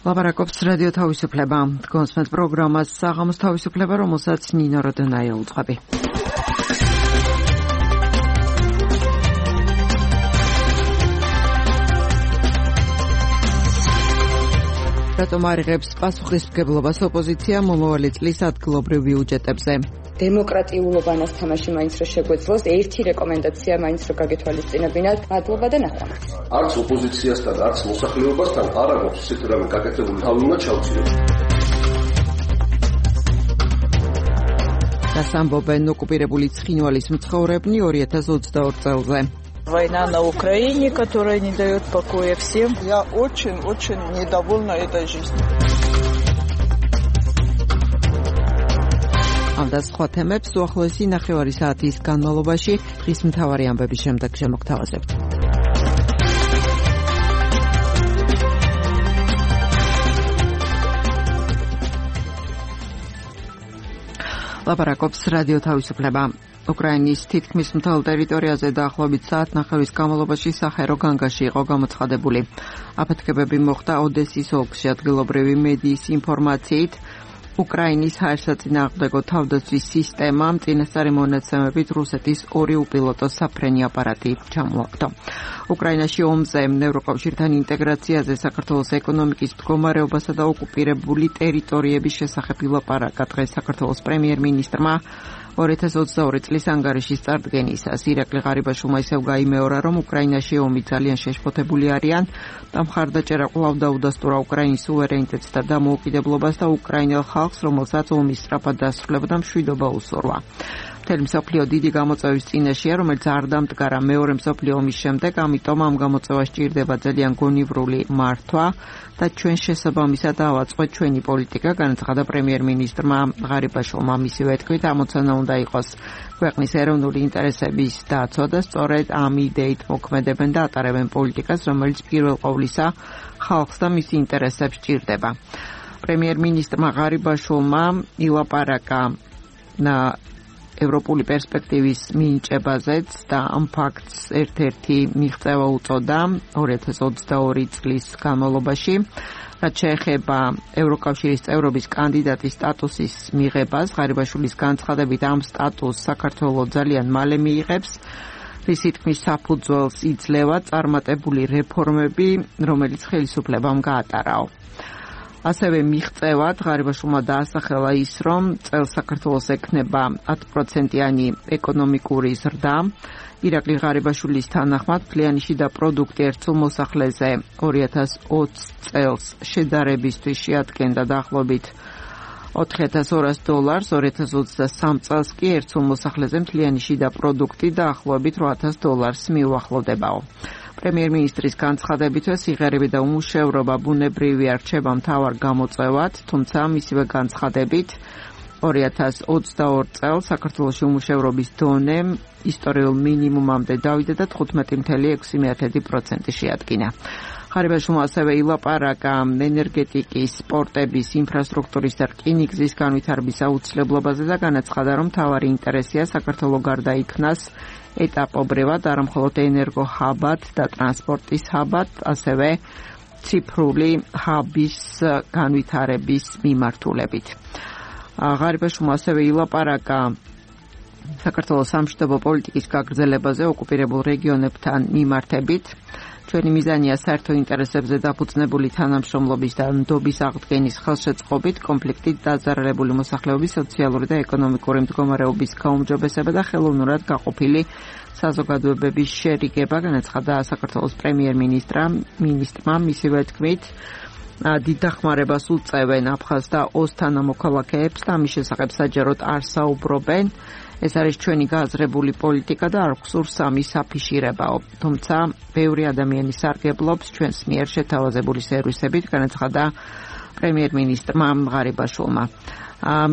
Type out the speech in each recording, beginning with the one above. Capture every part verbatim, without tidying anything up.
ლაპარაკობს რადიო თავისუფლება. კონსმეთ პროგრამას საღამოს თავისუფლება, რომელსაც ნინო როდონაია უძღვები. რატომ არ იღებს პასუხისმგებლობას ოპოზიცია მომავალი წლის ადგილობრივ ბიუჯეტებზე? დემოკრატიულობანას თამაში მაინც რო შეგვეძლოს, ერთი რეკომენდაცია მაინც რო გაგეთვალისწინებინათ, მადლობა და ნახვამდის. არც ოპოზიციასთან, არც მოსახლეობასთან არ აქვს ისეთი რამე გაკეთებული, თავი უნდა ჩავწიოთ. რას ამბობენ ოკუპირებული ცხინვალის მცხოვრებნი ორი ათას ოცდაორ წელზე? Война на Украине, которая не дает покоя всем. Я очень-очень недовольна этой жизнью. ამ და სხვა თემებს უახლოესი ნახევარი საათის განმავლობაში დღის მთავარი ამბების შემდეგ შემოგთავაზებთ. ლაპარაკობს რადიო თავისუფლება. უკრაინის თითქმის მთელ ტერიტორიაზე დაახლოებით საათნახევის განმავლობაში სახერო განგაში იყო გამოცხადებული. აფეთქებები მოხდა ოდესის ოლქში. ადგილობრივი მედიის ინფორმაციით, უკრაინის ჰაერსაწინააღმდეგო თავდაცვის სისტემამ წინასწარი მონაცემებით რუსეთის ორი უპილოტო საფრენი აპარატი ჩამოაგდო. უკრაინაში ომზე, ევროკავშირთან ინტეგრაციაზე, საქართველოს ეკონომიკის მდგომარეობასა და ოკუპირებული ტერიტორიების შესახებ ილაპარაკა დღეს საქართველოს პრემიერ-მინისტრმა. ორი ათას ოცდაორი წლის ანგარიშის წარდგენისას ირაკლი ღარიბაშვილმა ისევ გაიმეორა, რომ უკრაინაში ომი ძალიან შეშფოთებული არიან და მხარდაჭერა კვლავ დაუდასტურა უკრაინის სუვერენიტეტს და დამოუკიდებლობას და უკრაინელ ხალხს, რომელსაც ომის სწრაფად დასრულება და მშვიდობა უსურვა. მთელი მსოფლიო დიდი გამოწვევის წინაშეა, რომელიც არ დამდგარა მეორე მსოფლიო ომის შემდეგ, ამიტომ ამ გამოწვევას სჭირდება ძალიან გონივრული მართვა და ჩვენ შესაბამისად დავაწყოთ ჩვენი პოლიტიკა, განაცხადა პრემიერ-მინისტრმა ღარიბაშვილმა. მისივე თქმით, ამოცანა უნდა იყოს ქვეყნის ეროვნული ინტერესების დაცვა და სწორედ ამ იდეით მოქმედებენ და ატარებენ პოლიტიკას, რომელიც პირველ ყოვლისა ხალხს და მის ინტერესებს სჭირდება. პრემიერ-მინისტრმა ღარიბაშვილმა ილაპარაკა ევროპული პერსპექტივის მინიჭებაზეც და ამ ფაქტს ერთ-ერთი მიღწევა უწოდა ორი ათას ოცდაორი წლის განმავლობაში, რაც შეეხება ევროკავშირის წევრობის კანდიდატის სტატუსის მიღებას. ღარიბაშვილის განცხადებით, ამ სტატუსს საქართველოს ძალიან მალე მიიღებს, რისი თქმის საფუძველს იძლევა წარმატებული რეფორმები, რომელიც ხელისუფლებამ გაატარაო. ასევე მიღწევად ღარიბაშვილმა დაასახელა ის, რომ წელს საქართველოს ექნება ათი პროცენტიანი ეკონომიკური ზრდა. ირაკლი ღარიბაშვილის თანახმად, მთლიანი შიდა პროდუქტი ერთ სულ მოსახლეზე ორი ათას ოცი წელს შედარებისთვის შეადგენდა დაახლოებით ოთხი ათას ორას დოლარს, ორი ათას ოცდასამი წელს კი ერთ სულ მოსახლეზე მთლიანი შიდა პროდუქტი დაახლოებით ორი ათას დოლარს მიუახლოვდებაო. პრემიერ-მინისტრის განცხადებითვე სიღერები და უმუშევრობა ბუნებრივია რჩება მთავარ გამოწვევად, თუმცა მისივე განცხადებით ორი ათას ოცდაორ წელს საქართველოში უმუშევრობის დონე ისტორიულ მინიმუმამდე დავიდა და თხუთმეტი целых ექვსი პროცენტი შეადგინა. ღარიბაშვილმა ასევე ილაპარაკა ენერგეტიკის, სპორტების, ინფრასტრუქტურის და რკინიგზის განვითარების აუცილებლობაზე და განაცხადა, რომ მთავარი ინტერესია საქართველოს გარდა იქნას ეტაპობრივად არა მხოლოდ ენერგოჰაბად და ტრანსპორტის ჰაბად, ასევე ციფრული ჰაბის განვითარების მიმართულებით. ღარიბაშვილმა ასევე ილაპარაკა საქართველოს სამშვიდობო პოლიტიკის გაგრძელებაზე ოკუპირებულ რეგიონებთან მიმართებით. ჩვენი მიზანია საერთო ინტერესებზე დაფუძნებული თანამშრომლობის და ნდობის აღდგენის ხელშეწყობით, კონფლიქტით დაზარალებული მოსახლეობის სოციალური და ეკონომიკური მდგომარეობის გაუმჯობესება და ხელოვნურად გაყოფილი საზოგადოებების შერიგება, განაცხადა საქართველოს პრემიერ-მინისტრმა. მინისტრმა მისივე თქმით, დიდ დახმარებას უწევენ აფხაზ და ოს თანამოქალაქეებს და ამის შესახებ საჯაროდ არ საუბრობენ. ეს არის ჩვენი გააზრებული პოლიტიკა და არ გვსურს ამის აფიშირებაო. თუმცა ბევრი ადამიანი სარგებლობს ჩვენს მიერ შეთავაზებული სერვისებით, განაცხადა პრემიერ-მინისტრმა ღარიბაშვილმა.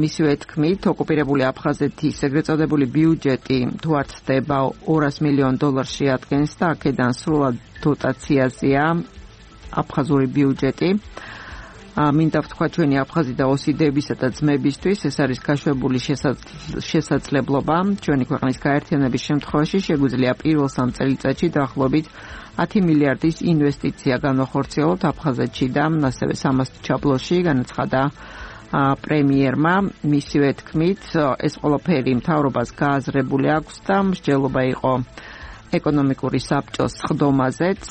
მისივე თქმით, ოკუპირებული აფხაზეთის ეგრეთ წოდებული ბიუჯეტი თუ არ ცდება ორას მილიონ დოლარს შეადგენს და აქედან სრულად დოტაციაზეა აფხაზური ბიუჯეტი. მინდა ვთქვა ჩვენი აფხაზი და ოსიდებისა და ძმებისთვის, ეს არის გაშვებული შესაძლებლობა. ჩვენი ქვეყნის გაერთიანების შემთხვევაში შეგვიძლია პირველ სამ წელიწადში დაახლოებით ათი მილიარდის ინვესტიცია განვახორციელოთ აფხაზეთში და ასევე სამასტჩაბლოში, განაცხადა პრემიერმა. მისივე თქმით, ეს ყველაფერი მთავრობას გააზრებული აქვს და მსჯელობა იყო ეკონომიკური საბჭოს სხდომაზეც.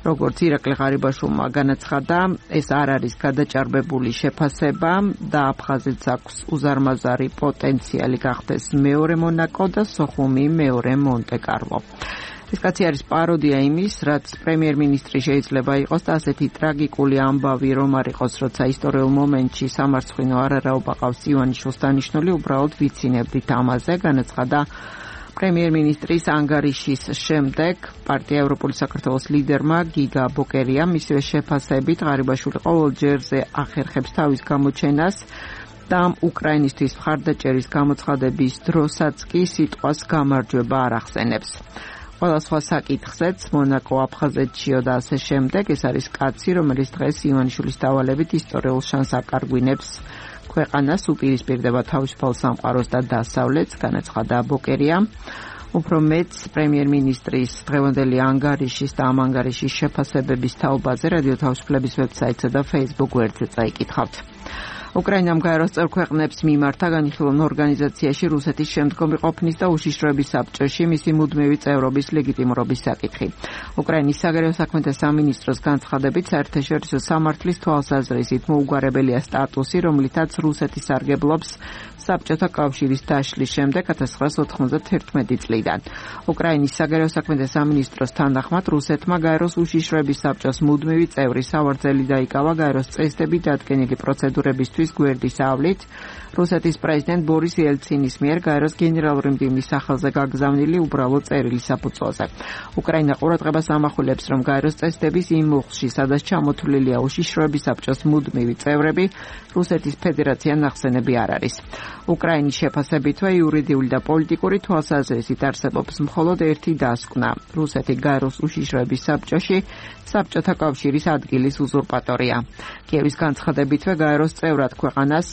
როგორც ირაკლი ღარიბაშვილმა განაცხადა, ეს არ არის გადაჭარბებული შეფასება და აფხაზეთს აქვს უზარმაზარი პოტენციალი გახდეს მეორე მონაკო და სოხუმი მეორე მონტე-კარლო. ეს კაცი არის პაროდია იმის, რაც პრემიერ-მინისტრი შეიძლება იყოს და ასეთი ტრაგიკული ამბავი რომ არ იყოს, როცა ისტორიულ მომენტში სამარცხვინო არარაობა ყავს ივანიშვილს დანიშნული, უბრალოდ ვიცინებდით ამაზე, განაცხადა პრემიერ-მინისტრის ანგარიშის შემდეგ პარტია ევროპული საქართველოს ლიდერმა გიგა ბოკერიამ მისივე შეფასებით ღარიბაშვილი ყოველ ჯერზე ახერხებს თავის გამოჩენას და უკრაინისთვის მხარდაჭერის გამოცხადების დროსაც კი სიტყვას გამარჯვება არ ახსენებს. ყველა სხვა საკითხზეც მონაკო აფხაზეთშიო და ასე შემდეგ ეს არის კაცი, რომელიც დღეს ივანიშვილის დავალებით ისტორიულ შანსს აკარგვინებს ქვეყანას, უპირისპირდება თავისუფალ სამყაროს და დასავლეთს, განაცხადა ბოკერია. უფრო მეც პრემიერ-მინისტრის დღევანდელი ანგარიშის და ამ ანგარიშის შეფასებების თაობაზე რადიო თავისუფლების ვებსაიტსა და Facebook გვერდზე წაიკითხავთ. უკრაინამ გაეროს წევრ ქვეყნებს მიმართა განხილულ ორგანიზაციაში რუსეთის შემდგომი ყოფნის და უშიშროების საბჭოში მისი მუდმივი წევრობის ლეგიტიმურობის საკითხი. უკრაინის საგარეო საქმეთა სამინისტროს განცხადებით, საერთაშორისო სამართლის თვალსაზრისით მოუგვარებელია სტატუსი, რომლითაც რუსეთი სარგებლობს საბჭოთა კავშირის დაშლის შემდეგ ათას ცხრაასი ოთხმოცდათერთმეტი წლიდან. უკრაინის საგარეო საქმეთა სამინისტროს თანახმად რუსეთმა გაეროს უშიშროების საბჭოს მუდმივი წევრი სავარძელი დაიკავა გაეროს წესდები დადგენილი პროცედურებისთვის გვერდის ავლით რუსეთის პრეზიდენტ ბორის ელცინის მიერ გაეროს გენერალური მდივნის სახელზე გაგზავნილი უბრალო წერილი საფუძველზე. უკრაინა ყურადღებას ამახვილებს, რომ გაეროს წესდების იმ მუხლში, სადაც ჩამოთვლილია უშიშროების საბჭოს მუდმივი წევრები, რუსეთის ფედერაცია ნახსენები არ არის. უკრაინის შეფასებითვე იურიდიული და პოლიტიკური თვალსაზრისით არსებობს მხოლოდ ერთი დასკვნა. რუსეთი გაეროს უშიშროების საბჭოში საბჭოთა კავშირის ადგილის უზურპატორია. კიევის განცხადებითვე გაეროს წევრად ქვეყანას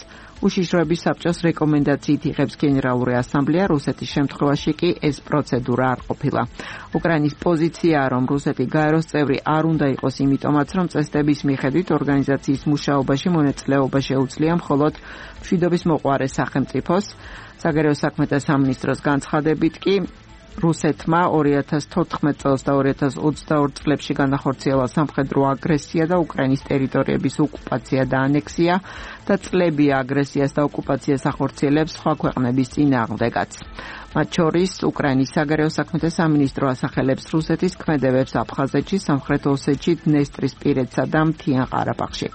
უშიშროების საბჭოს რეკომენდაციით იღებს გენერალური ასამბლეა, რუსეთის შემთხვევაში კი ეს პროცედურა არ ყოფილა. უკრაინის პოზიციაა, რომ რუსეთი გაეროს წევრი არ უნდა იყოს, იმიტომაც რომ წესდების მიხედვით ორგანიზაციის მუშაობაში მონაწილეობა შეუძლია მხოლოდ მშვიდობის მოყვარე სახელმწიფოს. საგარეო საქმეთა სამინისტროს განცხადებით კი რუსეთმა ორი ათას თოთხმეტ წელს და ორი ათას ოცდაორ წლებში განახორციელა სამხედრო აგრესია და უკრაინის ტერიტორიების ოკუპაცია და ანექსია და წლები აგრესიას და ოკუპაციას ახორციელებს სხვა ქვეყნების წინააღმდეგაც. მათ შორის უკრაინის საგარეო საქმეთა სამინისტრო ასახელებს რუსეთის ქმედებებს აფხაზეთში, სამხრეთ ოსეთში, დნესტრისპირეთსა და მთიან ყარაბაღში.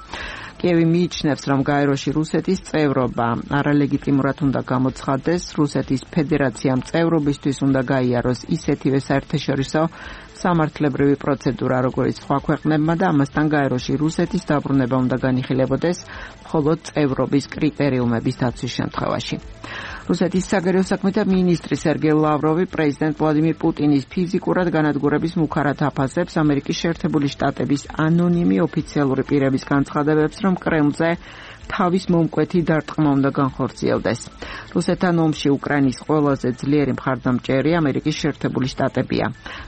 კიევი მიიჩნევს, რომ გაეროში რუსეთის წევრობა არალეგიტიმურად უნდა გამოცხადდეს, რუსეთის ფედერაციამ წევრობისთვის უნდა გაიაროს ისეთივე საერთაშორისო სამართლებრივი პროცედურა, როგორც სხვა ქვეყნებმა და ამასთან გაეროში რუსეთის დაბრუნება უნდა განიხილებოდეს მხოლოდ წევრობის კრიტერიუმების დაცვის შემთხვევაში. რუსეთის საგარეო საქმეთა მინისტრი სერგეი ლავროვი პრეზიდენტ ვლადიმირ პუტინის ფიზიკურად განადგურების მუქარად აფასებს ამერიკის შეერთებული შტატების ანონიმი ოფიციალური პირების განცხადებებს, რომ კრემლზე თავის მომკვეთი დარტყმა უნდა განხორციელდეს. რუსეთთან ომში უკრაინის ყველაზე ძლიერი მხარდამჭერი ამერიკის შეერთებული შტატებია.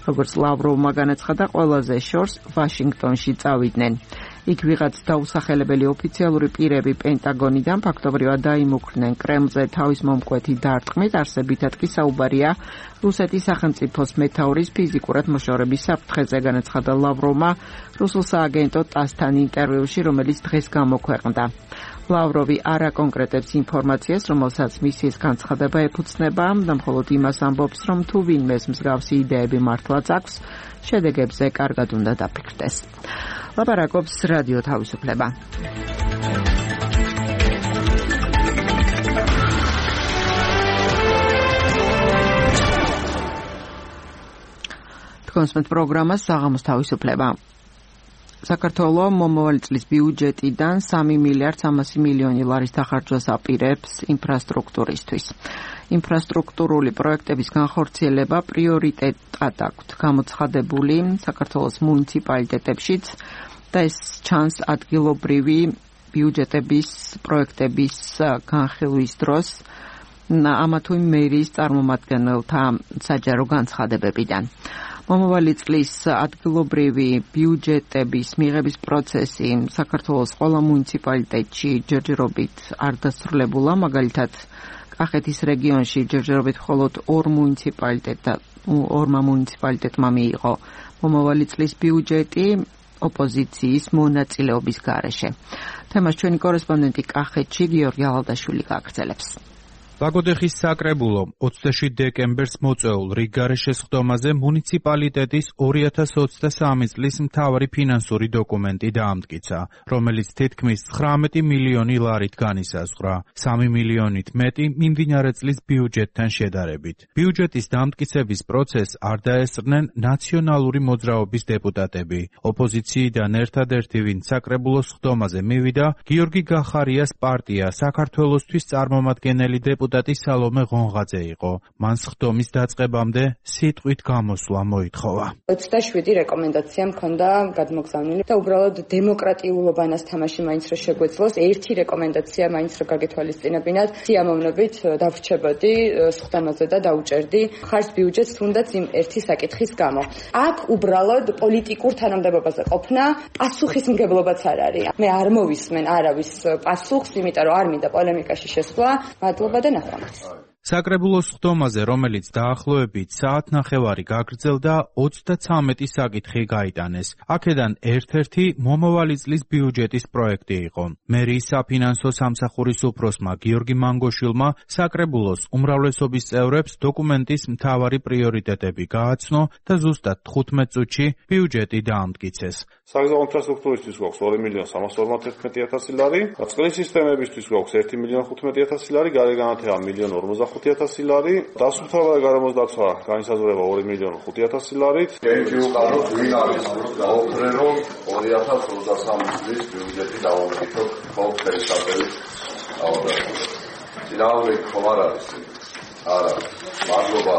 როგორც ლავროვმა განაცხადა, ყველაზე შორს ვაშინგტონში წავიდნენ. იქ ვიღაც დაუსახელებელი ოფიციალური პირები პენტაგონიდან ფაქტობრივად დაიმუქრნენ კრემლზე თავის მომკვეთი დარტყმით, არსებითად კი საუბარია რუსეთის სახელმწიფოს მეთაურის ფიზიკურად მოშორების საფრთხეზე, განაცხადა ლავროვმა რუსულ სააგენტო ტასთან ინტერვიუში, რომელიც დღეს გამოქვეყნდა. ლავროვი არ აკონკრეტებს ინფორმაციას, რომელსაც მისის განცხადება ეფუძნება და მხოლოდ იმას ამბობს, რომ თუ ვინმეს მსგავსი იდეები მართლაც აქვს, შედეგებზე კარგად უნდა დაფიქრდეს. ლაპარაკობს რადიო თავისუფლება. თქვენს პროგრამას საღამოს თავისუფლება. საქართველოს მომავალი წლის ბიუჯეტიდან სამი მილიარდ სამასი მილიონი ლარის დახარჯვას აპირებს ინფრასტრუქტურისთვის. ინფრასტრუქტურული პროექტების განხორციელება პრიორიტეტად აქვთ გამოცხადებული საქართველოს მუნიციპალიტეტებშიც და ეს ჩანს ადგილობრივი ბიუჯეტების პროექტების განხილვის დროს ამა თუ იმ მერიის წარმომადგენელთა საჯარო განცხადებებიდან. მომავალი წლის ადგილობრივი ბიუჯეტების მიღების პროცესი საქართველოს ყველა მუნიციპალიტეტში ჯერჯერობით არ დასრულებულა, მაგალითად კახეთის რეგიონში ჯერჯერობით მხოლოდ ორ მუნიციპალიტეტად ორმა მუნიციპალიტეტმა მიიღო მომავალი წლის ბიუჯეტი ოპოზიციის მონაწილეობის გარეშე. თემას ჩვენი კორესპონდენტი კახეთში გიორგი ალადაშვილი გააგრძელებს. ლაგოდეხის საკრებულო ოცდაშვიდ დეკემბერს მოწვეულ რიგგარეშე სხდომაზე მუნიციპალიტეტის ორი ათას ოცდასამი წლის მთავარი ფინანსური დოკუმენტი დაამტკიცა, რომელიც თითქმის ცხრამეტი მილიონი ლარით განისაზღვრა, სამი მილიონით მეტი მიმდინარე წლის ბიუჯეტთან შედარებით. ბიუჯეტის დამტკიცების პროცესს არ დაესწრნენ ნაციონალური მოძრაობის დეპუტატები. ოპოზიციიდან ერთადერთი, ვინც საკრებულოს სხდომაზე მივიდა, გიორგი გახარიას პარტია საქართველოსთვის წარმომადგენელი დეპუტატი სალომე ღონღაძე იყო. მან სხდომის დაწყებამდე სიტყვით გამოსვლა მოითხოვა. ოცდაშვიდი რეკომენდაცია მქონდა გადმოგზავნილი და უბრალოდ დემოკრატიულობანას თამაში მაინც რო შეგვეძლოს, ერთი რეკომენდაცია მაინც რო გაგეთვალისწინებინათ, სიამოვნებით დავრჩებოდი სხდომაზე და დაუჭერდი ხარს ბიუჯეტს თუნდაც იმ ერთი საკითხის გამო. აქ უბრალოდ პოლიტიკურ თანამდებობაზე ყოფნა პასუხისმგებლობაც არ არის. მე არ მოვისმენ არავის პასუხს, იმიტომ რომ არ მინდა პოლემიკაში შესვლა. მადლობა და საკრებულოს სხდომაზე, რომელიც დაახლოებით საათნახევარი გაგრძელდა, ოცდაცამეტი საკითხი გაიტანეს. აქედან ერთ-ერთი მომავალი წლის ბიუჯეტის პროექტი იყო. მერიის საფინანსო სამსახურის უფროსმა გიორგი მანგოშვილმა საკრებულოს უმრავლესობის წევრებს დოკუმენტის მთავარი პრიორიტეტები გააცნო და ზუსტად თხუთმეტ წუთში ბიუჯეტი დაამტკიცეს. საგზაო ინფრასტრუქტურისთვის გვაქვს ორი მილიონი სამას ორმოცდაერთმეტი ათასი ლარი, წყლის სისტემებისთვის გვაქვს ერთი მილიონი ხუთმეტი ათასი ლარი, გარეგანათება მილიონი ორმოცდახუთი ათასი ლარი, დასუფთავება და გარემოსდაცვა განისაზღვრება ორი მილიონი ხუთი ათასი ლარით. გენჯიუყაროთ ვინ არის გაუქმრე რომ ორი ათას ოცდასამი წლის ბიუჯეტი დავამტკიცოთ ხოლმე ფერისაბელით ავადმყოფს. ძინავი ხომ არ არის? არა. მადლობა.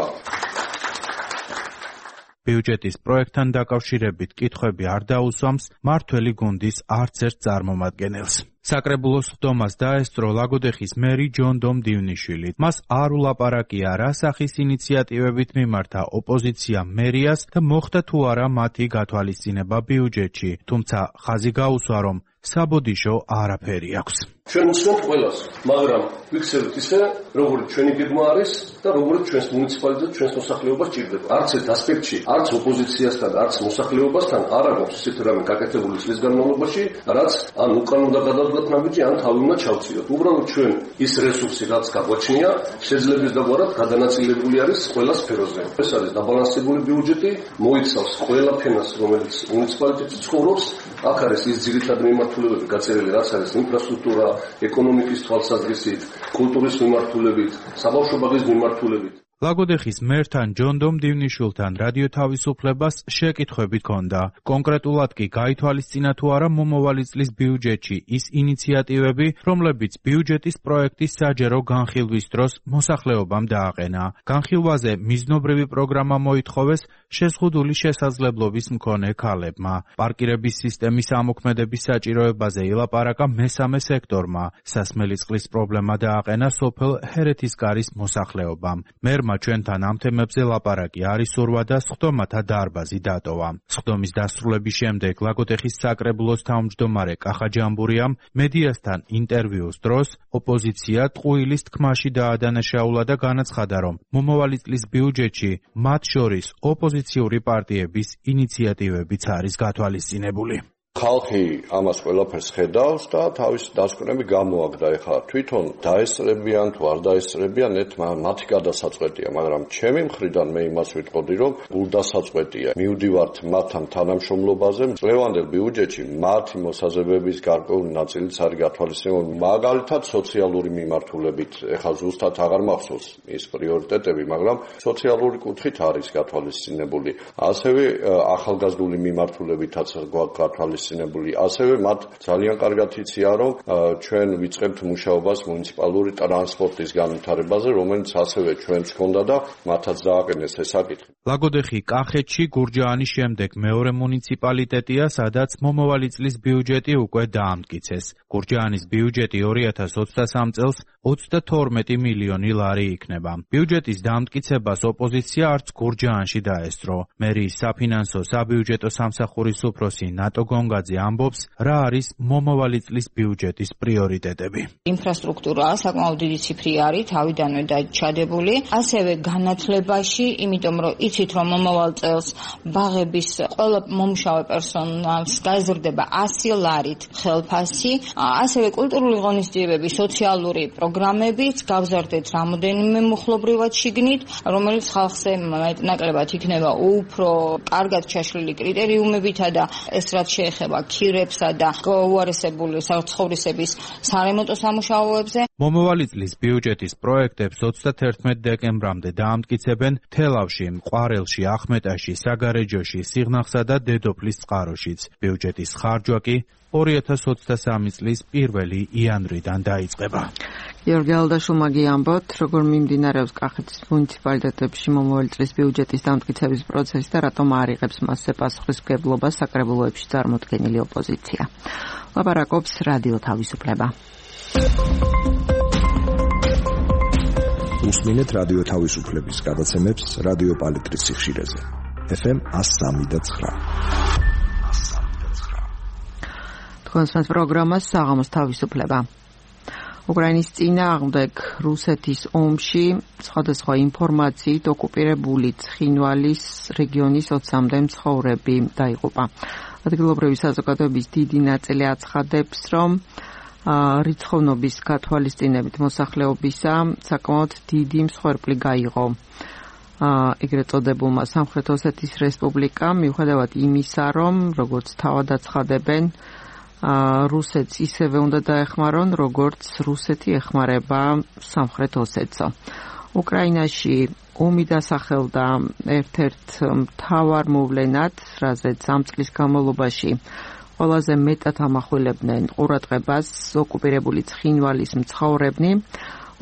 ბიუჯეტის პროექტთან დაკავშირებით კითხვები არ დაუსვამს მართველი გუნდის არც ერთ წარმომადგენელს. საკრებულოს სხდომას დაესწრო ლაგოდეხის მერი ჯონდომ დივნიშვილი. მას არ ულაპარაკია რა სახის ინიციატივებით მიმართა ოპოზიცია მერიას და მოხდა თუ არა მათი გათვალისწინება ბიუჯეტში, თუმცა ხაზი გაუსვა, რომ საბოდიშო არაფერი აქვს. ჩვენ უსმენთ ყველას, მაგრამ ვიქცევთ ისე, როგორც ჩვენი გეგმა არის და როგორც ჩვენს მუნიციპალიტეტს, ჩვენს მოსახლეობას ჭირდება. არც ერთ ასპექტში, არც ოპოზიციასთან, არც მოსახლეობასთან არ აქვს ისეთი რამე გაკეთებული წლის განმავლობაში, რაც ან უკან უნდა გადავდგათ ნაბიჯი, ან თავი უნდა ჩავწიოთ. უბრალოდ ჩვენ ის რესურსი, რაც გაგვაჩნია, შეძლების დაგვარად გადანაწილებული არის ყველა სფეროზე. ეს არის დაბალანსებული ბიუჯეტი, მოიცავს ყველა ფენას, რომელიც მუნიციპალიტეტში ცხოვრობს. აქ არის ის ძირითადი მიმართულებები გაწერილი, რაც არის ინფრასტრუქტურა, ეკონომიკის თვალსაზრისით, კულტურის მიმართულებით, საბავშვო-ბაღის მიმართულებით. ლაგოდეხის მერთან ჯონდომ დივნიშვილთან რადიო თავისუფლებას შეკითხვები ჰქონდა. კონკრეტულად კი გაითვალისწინა თუ არა მომავალი წლის ბიუჯეტში ის ინიციატივები, რომლებიც ბიუჯეტის პროექტის საჯერო განხილვის დროს მოსახლეობამ დააყენა. განხილვაზე მიზნობრივი პროგრამა მოითხოვეს შეზღუდული შესაძლებლობის მქონე ქალებმა. პარკირების სისტემის ამოქმედების საჭიროებაზე ილაპარაკა მესამე სექტორმა. სასმელი წყლის პრობლემა დააყენა სოფელ ჰერეთისკარის მოსახლეობამ. მერმა ჩვენთან ამ თემებზე ლაპარაკი არ ისურვა და სხდომათა დარბაზი დატოვა. სხდომის დასრულების შემდეგ ლაგოდეხის საკრებულოს თავმჯდომარე კახა ჯამბურიამ მედიასთან ინტერვიუს დროს ოპოზიცია ტყუილის თქმაში დაადანაშაულა და განაცხადა, რომ მომავალი წლის ბიუჯეტში მათ შორის ოპოზიციური პარტიების ინიციატივებიც არის გათვალისწინებული. ხალხი ამას ყველაფერს ხედავს და თავის დასკვნები გამოაგდა. ეხლა თვითონ დაესწრებიან თუ არ დაესწრებიან, ეთ მათი გადასაწყვეტია, მაგრამ ჩემი მხრიდან მე იმას ვიტყოდი, რომ გულდასაწყვეტია. მივდივართ მათთან თანამშრომლობაზე, წლევანდელ ბიუჯეტში მათი მოსაზრებების გარკვეული ნაწილიც არის გათვალისწინებული. მაგალითად, სოციალური მიმართულებით, ეხლა ზუსტად აღარ მახსოვს ის პრიორიტეტები, მაგრამ სოციალური კუთხით არის გათვალისწინებული. ასევე ახალგაზრდული მიმართულებითაც გვაქვს გათვალისწინებული. გახორციელებული. ასევე მათ ძალიან კარგად იციან, რომ ჩვენ ვიწყებთ მუშაობას მუნიციპალური ტრანსპორტის განვითარებაზე, რომელიც ასევე ჩვენს ჰქონდა და მათაც დააყენეს ეს საკითხი. ლაგოდეხი კახეთში გურჯაანის შემდეგ მეორე მუნიციპალიტეტია, სადაც მომავალი წლის ბიუჯეტი უკვე დაამტკიცეს. გურჯაანის ბიუჯეტი ორი ათას ოცდასამ წელს ოცდათორმეტი მილიონი ლარი იქნება. ბიუჯეტის დაამტკიცებას ოპოზიცია არც გურჯაანში დაესწრო. მერიის საფინანსო საბიუჯეტო სამსახურის უფროსი ნატო გონგაძე ამბობს, რა არის მომავალი წლის ბიუჯეტის პრიორიტეტები. ინფრასტრუქტურა საკმაოდ დიდი ციფრი არის, თავიდანვე დაჩადებული, ასევე განათლებაში, იმიტომ რომ იცით, რომ მომავალ წელს ბაღების ყველა მომუშავე პერსონალს გაიზრდება ასი ლარით ხელფასი, ასევე კულტურული ღონისძიებები, სოციალური პროგრამებიც გავზარდეთ რამოდენიმე მუხლობრივად შიგნით, რომელიც ხალხზე მეტნაკლებად იქნება უფრო კარგად ჩაშლილი კრიტერიუმებითა და ეს რაც შეეხება ქირებსა და უარესებული საცხოვრისების სარემონტო სამუშაოებზე. მომავალი წლის ბიუჯეტის პროექტებს ოცდათერთმეტ დეკემბრამდე დაამტკიცებენ თელავში, ყვარელში, ახმეტაში, საგარეჯოში, სიღნაღსა და დედოფლის წყაროშიც. ბიუჯეტის ხარჯვა კი ორი ათას ოცდასამი წლის პირველი იანვრიდან დაიწყება. გიორგი ალდაშულმა გიამბოთ, როგორ მიმდინარეობს კახეთის მუნიციპალიტეტებში მომავალი წლის ბიუჯეტის დამტკიცების პროცესი და რატომ არ იღებს მასზე პასუხისმგებლობას საკრებულოებში წარმოდგენილი ოპოზიცია. ლაპარაკობს რადიო თავისუფლება. უსმინეთ რადიო თავისუფლების გადაცემებს რადიო პალიტრის სიხშირეზე. ეფ ემ εκατო სამი და ცხრა. თქვენს პროგრამას საღამოს თავისუფლება. უკრაინის წინააღმდეგ რუსეთის ომში სხვადასხვა ინფორმაციით ოკუპირებული ცხინვალის რეგიონის ოცამდე მცხოვრები დაიღუპა. ადგილობრივი საზოგადოების დიდი ნაწილი აცხადებს, რომ რიცხოვნობის გათვალისწინებით მოსახლეობისა საკმაოდ დიდი მსხვერპლი გაიღო ეგრეთ წოდებულმა სამხრეთ ოსეთის რესპუბლიკამ, მიუხედავად იმისა, რომ როგორც თავად აცხადებენ, რუსეთს ისევე უნდა დაეხმარონ, როგორც რუსეთი ეხმარება სამხრეთ ოსეთსო. უკრაინაში ომი დასახელდა ერთ-ერთ მთავარ მოვლენად, რაზეც ამ წლის განმავლობაში ყველაზე მეტად ამახვილებდნენ ყურადღებას ოკუპირებული ცხინვალის მცხოვრებნი.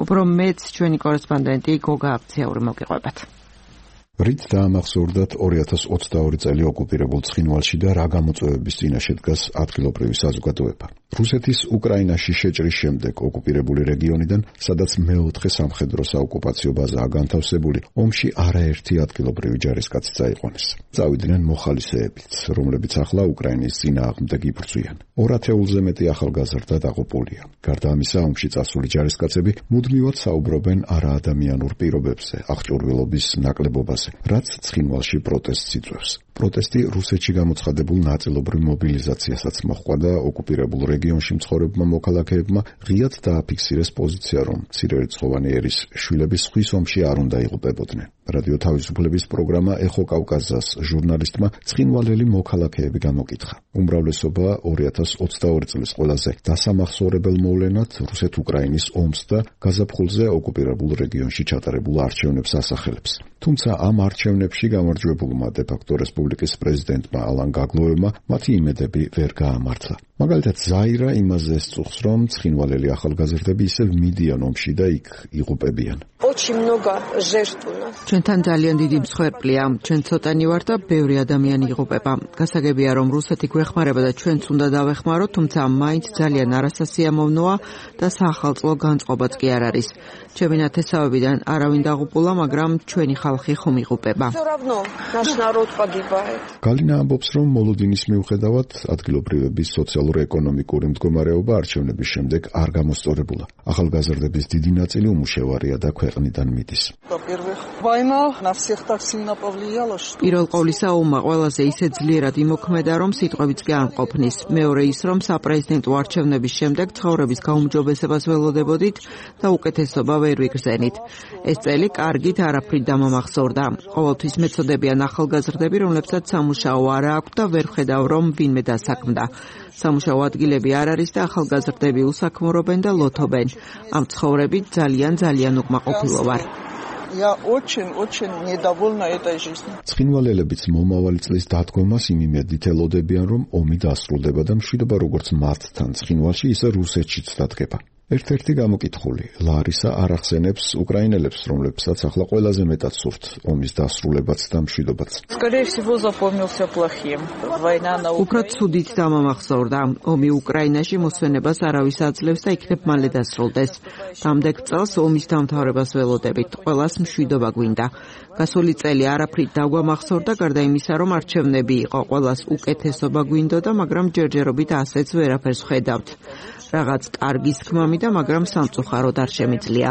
უფრო მეც ჩვენი კორესპონდენტი გოგა აფციური მოგიყვებათ. რით დაამახსოვრდათ ორი ათას ოცდაორი წელი ოკუპირებულ ცხინვალში და რა გამოწვევების წინაშე დგას ადგილობრივი საზოგადოება. რუსეთის უკრაინაში შეჭრის შემდეგ ოკუპირებული რეგიონიდან, სადაც მეოთხე სამხედრო საოკუპაციო ბაზაა განთავსებული, ომში არაერთი ადგილობრივი ჯარისკაცი წაიყვანეს. წავიდნენ მოხალისეებიც, რომლებიც ახლა უკრაინის წინააღმდეგ იბრძვიან. ორ ათეულზე მეტი ახალგაზრდა დაღუპულია. გარდა ამისა, ომში წასული ჯარისკაცები მუდმივად საუბრობენ არაადამიანურ პირობებზე, აღჭურვილობის ნაკლებობაზე, რაც ცხინვალში პროტესტს იწვევს. პროტესტი რუსეთში გამოცხადებულ ნაწილობრივ მობილიზაციასაც მოჰყვა და ოკუპირებულ რეგიონში მცხოვრებმა მოქალაქეებმა ღიად დააფიქსირეს პოზიცია, რომ მცირერიცხოვანი ერის შვილები სხვის ომში არ უნდა იღუპებოდნენ. რადიო თავისუფლების პროგრამა ეხო კავკაზას ჟურნალისტმა ცხინვალელი მოქალაქეები გამოკითხა. უმრავლესობა ორი ათას ოცდაორი წლის ყველაზე დასამახსოვრებელ მოვლენად რუსეთ-უკრაინის ომს და გაზაფხულზე ოკუპირებულ რეგიონში ჩატარებულ არჩევნებს ასახელებს. თუმცა ამ არჩევნებში გამარჯვებულმა დე-ფაქტო რესპუბლიკის პრეზიდენტმა ალან გაგლოევმა მათი იმედები ვერ გაამართლა. მაგალითად, ზაირა იმაზე სწუხს, რომ ცხინვალელი ახალგაზრდები ისევ მიდიან ომში და იქ იღუპებიან. ჩვენთან ძალიან დიდი მსხვერპლია. ჩვენ ცოტანი ვართ და ბევრი ადამიანი იღუპება. გასაგებია, რომ რუსეთი გვეხმარება და ჩვენც უნდა დავეხმაროთ, თუმცა მაინც ძალიან არასასიამოვნოა და საახალწლო განწყობაც კი არ არის. ჩემი ნათესავებიდან არავინ დაღუპულა, მაგრამ ჩვენი ხალხი ხომ იღუპება. გალინა ამბობს, რომ მოლოდინის მიუხედავად ადგილობრივების სოციალურ-ეკონომიკური მდგომარეობა არჩევნების შემდეგ არ გამოსწორებულა. ახალგაზრდების დიდი ნაწილი უმუშევარია და ქვეყნიდან მიდის. პირველ ყოვლისა, ომმა ყველაზე ისე ძლიერად იმოქმედა, რომ სიტყვებიც კი არ მყოფნის. მეორე ის, რომ საპრეზიდენტო არჩევნების შემდეგ ცხოვრების გაუმჯობესებას ველოდებოდით და უკეთესობა ვერ ვიგრძენით. ეს წელი კარგით არაფრით დამამახსოვრდა. ყოველთვის მეწოდებიან ახალგაზრდები, რომლებსაც სამუშაო არ აქვთ და ვერ ხედავ, რომ ვინმე დასაქმდა. სამუშაო ადგილები არ არის და ახალგაზრდები უსაქმურობენ და ლოთობენ. ამ ცხოვრებით ძალიან ძალიან უკმაყოფილო ვარ. Я очень-очень недовольна этой жизнью. ცხინვალელებიც მომავალი წლის დადგომას იმ იმედით ელოდებიან, რომ ომი დასრულდება და მშვიდობა როგორც მათთან ცხინვალში, ისე რუსეთშიც დადგება. ერთ-ერთი გამოკითხული ლარისა არ ახსენებს უკრაინელებს, რომლებსაც ახლა ყველაზე მეტად სურთ ომის დასრულებაც და მშვიდობაც. Скорее всего, запомнился плохим. Война на Უკრა ცუდით დამამახსოვრდა. ომი უკრაინაში მოსვენებას არავის აძლევს და იქნებ მალე დასრულდეს. Დამდეგ წელს ომის დამთავრებას ველოდებით. ყველას მშვიდობა გვინდა. გასული წელი არაფრით დაგვამახსოვრდა, გარდა იმისა, რომ არჩევნები იყო. ყველას უკეთესობა გვინდოდა, მაგრამ ჯერჯერობით ასეც ვერაფერს ხედავთ. რაღაც კარგის თქმამი და მაგრამ სამწუხაროდ არ შემიძლია.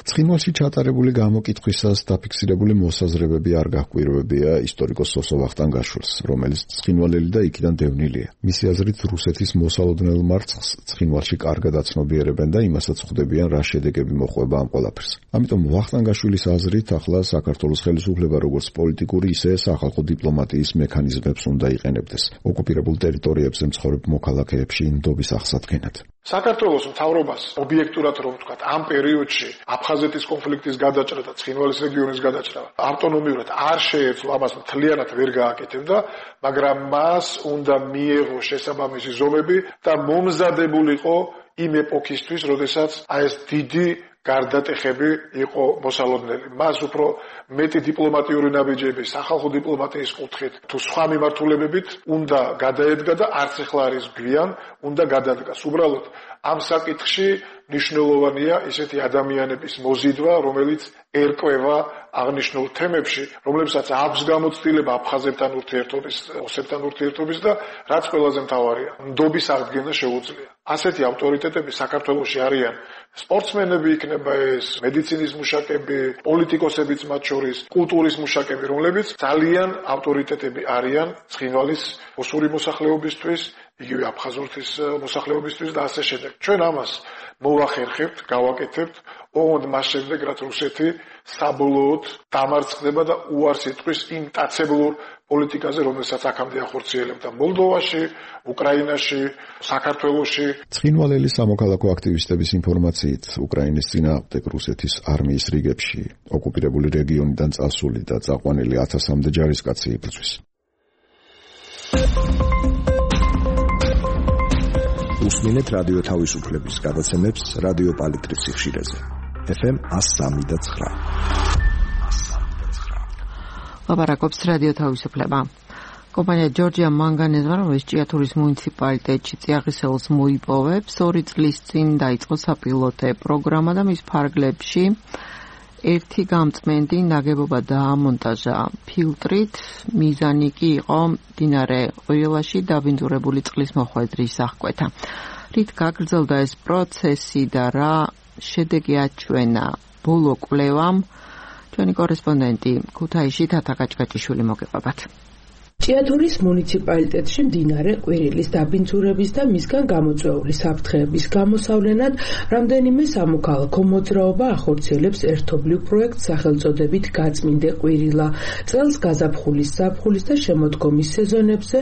ცხინვალში ჩატარებული გამოკითხვისას დაფიქსირებული მოსაზრებები არ გაჰკვირვებია ისტორიკოს სოსო ვახტანგაშვილს, რომელიც ცხინვალელი და იქიდან დევნილია. მისი აზრით, რუსეთის მოსალოდნელ მარცხს ცხინვალში კარგად აცნობიერებენ და იმასაც ხვდებიან, რა შედეგები მოხვება ამ ყველაფერს. ამიტომ ვახტანგაშვილის აზრით, ახლა საქართველოს ხელისუფლება როგორც პოლიტიკური, ისე სახალხო დიპლომატიის მექანიზმებს უნდა იყენებდეს. ოკუპირებულ ტერიტორიებზე მცხოვრებ მოქალაქეებში ნდობის აღსადგენად. საქართველოს მთავრობას ობიექტურად რომ ვთქვათ, ამ პერიოდში აფხაზეთის კონფლიქტის გადაჭრა და ცხინვალის რეგიონის გადაჭრა ავტონომიურად არ შეეძლო, ამას მთლიანად ვერ გააკეთებდა, მაგრამ მას უნდა მიეღო შესაბამისი ზომები და მომზადებულიყო იმ ეპოქისთვის, როდესაც აი ეს დიდი გარდატეხები იყო მოსალოდნელი. მას უფრო მეტი დიპლომატიური ნაბიჯები სახალხო დიპლომატიის კუთხით თუ სხვა მიმართულებებით უნდა გადაედგა და არც ახლა არის გვიან უნდა გადადგას. უბრალოდ ამ საკითხში მნიშვნელოვანია ისეთი ადამიანების მოზიდვა, რომელიც ერკვევა აღნიშნულ თემებში, რომლებსაც აქვს გამოცდილება აფხაზებთან ურთიერთობის, ოსებთან ურთიერთობის და რაც ყველაზე მთავარია, ნდობის აღდგენა შეუძლია. ასეთი ავტორიტეტები საქართველოში არიან სპორტსმენები, იქნება ეს მედიცინის მუშაკები, პოლიტიკოსებიც მათ შორის, კულტურის მუშაკები, რომლებიც ძალიან ავტორიტეტები არიან ცხინვალის ოსური მოსახლეობისთვის, იგივე აფხაზეთის მოსახლეობისთვის და ასე შემდეგ. ჩვენ ამას მოვახერხებთ, გავაკეთებთ, ოღონდ მას შემდეგ, რაც რუსეთი საბოლოოდ დამარცხდება და უარს იტყვის იმ მტაცებლურ პოლიტიკაზე, რომელსაც აქამდე ახორციელებდა მოლდოვაში, უკრაინაში, საქართველოში. ცხინვალელი სამოქალაქო აქტივისტების ინფორმაციით, უკრაინის წინააღმდეგ რუსეთის არმიის რიგებში ოკუპირებული რეგიონიდან წასული და წაყვანილი ათასამდე ჯარისკაცი იბრძვის. უსმინეთ რადიო თავისუფლების გადაცემებს რადიო პალიტრის სიხშირეზე. ეფ ემ one oh three point nine. ლაპარაკობს რადიო თავისუფლება. კომპანია ჯორჯია მანგანეზმა, რომელიც ჭიათურის მუნიციპალიტეტში წიაღისეულს მოიპოვებს, ორი წლის წინ დაიწყო საპილოტე პროგრამა და მის ფარგლებში ერთი გამწმენდი ნაგებობა დაამონტაჟა ფილტრით, მიზანი კი იყო მდინარე ყვირილაში დაბინძურებული წყლის მოხვედრის აღკვეთა. რით გაგრძელდა ეს პროცესი და რა შედეგი აჩვენა ბოლო კვლევამ, ჩვენი კორესპონდენტი ქუთაისში თათა გაჭგაჭიშვილი მოგეყვებათ. ჭიათურის მუნიციპალიტეტში მდინარე ყვირილის დაბინძურების და მისგან გამოწვეული საფრთხეების გამოსავლენად რამდენიმე სამოქალაქო მოძრაობა ახორციელებს ერთობლივ პროექტს სახელწოდებით გაწმინდე ყვირილა. წელს გაზაფხულის, ზაფხულის და შემოდგომის სეზონებზე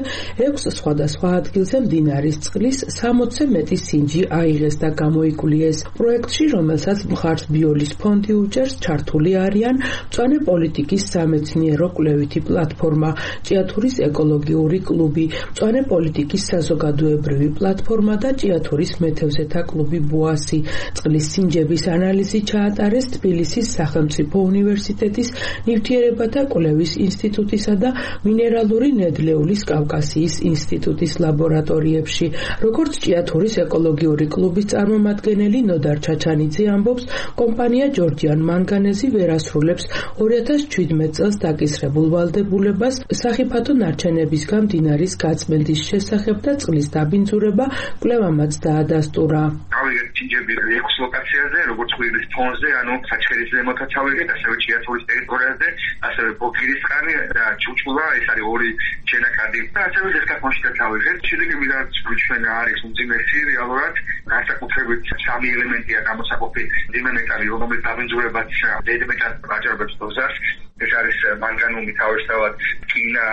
ექვს სხვადასხვა ადგილზე მდინარის წყლის სამოცზე მეტი სინჯი აიღეს და გამოიკულიეს. პროექტში, რომელსაც მხარს ბიოლის ფონდი უჭერს, ჩართული არიან მწვანე პოლიტიკის სამეცნიერო კვლევითი პლატფორმა, ჭიათურის ეკოლოგიური კლუბი, მწვანე პოლიტიკის საზოგადოებრივი პლატფორმა და ჭიათურის მეთევზეთა კლუბი ბუასი. წყლის სინჯების ანალიზი ჩაატარეს თბილისის სახელმწიფო უნივერსიტეტის ნივთიერებათა კვლევის ინსტიტუტისა და მინერალური ნედლეულის კავკასიის ინსტიტუტის ლაბორატორიებში. როგორც ჭიათურის ეკოლოგიური კლუბის წარმომადგენელი ნოდარ ჩაჩანიძე ამბობს, კომპანია ჯორჯიან მანგანეზი ვერ ასრულებს ორი ათას შვიდმეტ წელს დაკისრებულ ვალდებულებას სახიფათო ნარჩენების გამდინარის გაწმენდის შესახებ და წყლის დაბინძურება კვლევამაც დაადასტურა. ავიღეთ სინჯები ექვს ლოკაციაზე, როგორც ყვირილის ფონზე, ანუ საჩხერის ზემოთაც ავიღეთ, ასევე ჭიათურის ტერიტორიაზე, ასევე ბოქირისხანი და ჩუჩულა, ეს არის ორი შენაკადი და ასევე ზესკაფონშიც ავიღეთ. შედეგები რაც ჩვენ არის უმძიმესი რეალურად, განსაკუთრებით სამი ელემენტია გამოსაყოფი: მძიმე მეტალი, რომელიც დაბინძურებაც დედმეტად აჭარბებს დოზას, ეს არის მანგანუმი თავისთავად კინა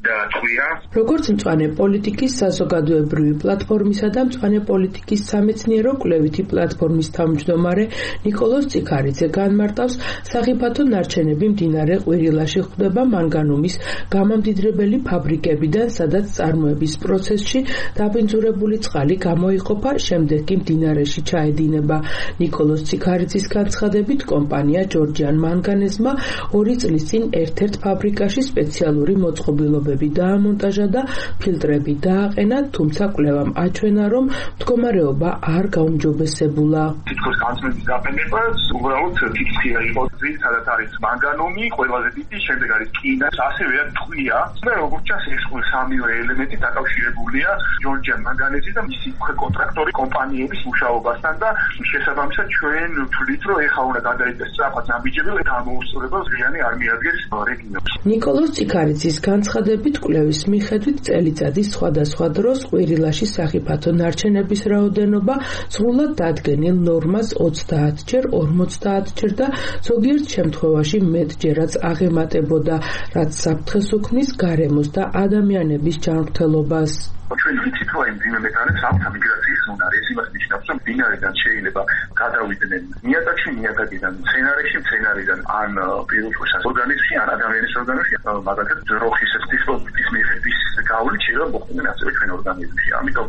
და ტყვია. როგორც მწვანე პოლიტიკის საზოგადოებრივი პლატფორმისა და მწვანე პოლიტიკის სამეცნიერო კვლევითი პლატფორმის თავმჯდომარე ნიკოლოზ ციქარიძე განმარტავს, სახიფათო ნარჩენები მდინარე ყვირილაში ხვდება მანგანუმის გამამდიდრებელი ფაბრიკებიდან, სადაც წარმოების პროცესში დაბინძურებული წყალი გამოიყოფა, შემდეგ კი მდინარეში ჩაედინება. ნიკოლოზ ციქარიძის განცხადებით, კომპანია ჯორჯიან მანგანეზმა ორი წლის წინ ერთ-ერთ ფაბრიკაში სპეციალური მოწყობილობები დაამონტაჟა და ფილტრები დააყენა, თუმცა კვლევამ აჩვენა, რომ მდგომარეობა არ გაუმჯობესებულა. თითქოს განცმების გაფრენება უბრალოდ ფიქრია იყო, სადაც არის მანგანუმი, ყველაზე დიდი, შემდეგ არის კინა, ასევე ტყვია. და როგორც ჩანს, ეს სამივე ელემენტი დაკავშირებულია ჯორჯიან მანგანეზის და მისი კონტრაქტორი კომპანიების მუშაობასთან და შესაბამისად ჩვენ ვთვლით, რომ ეხლა უნდა გადაიდეს სწრაფად ამბიჯები, გამოუსწორება ზრიანი არ მიადგეს რეგიონს. ნიკოლოზ ციქარიძის განცხადებით, კვლევის მიხედვით წელიწადის სხვადასხვა დროს ყვირილაში სახიფათო ნარჩენების რაოდენობა სრულად დადგენილ ნორმას ოცდაათჯერ, ორმოცდაათჯერ და ზოგიერთ შემთხვევაში მეტჯერაც აღემატებოდა, რაც საფრთხეს უქმნის გარემოს და ადამიანების ჯანმრთელობას. ჩვენ ვიცით, რომ მდინარე არის სამთა მიგრაციის უნარი, ეს იმას ნიშნავს, რომ მდინარიდან შეიძლება გადავიდნენ ნიადაგში, ნიადაგიდან მცენარეში, მცენარიდან ან პირუტყვის ორგანიზმში, ან ადამიანის ორგანიზმში, მაგალითად ძროხის ტიპის მიხედვის გავლით შეიძლება მოხვდნენ ასევე ჩვენ ორგანიზმში. ამიტომ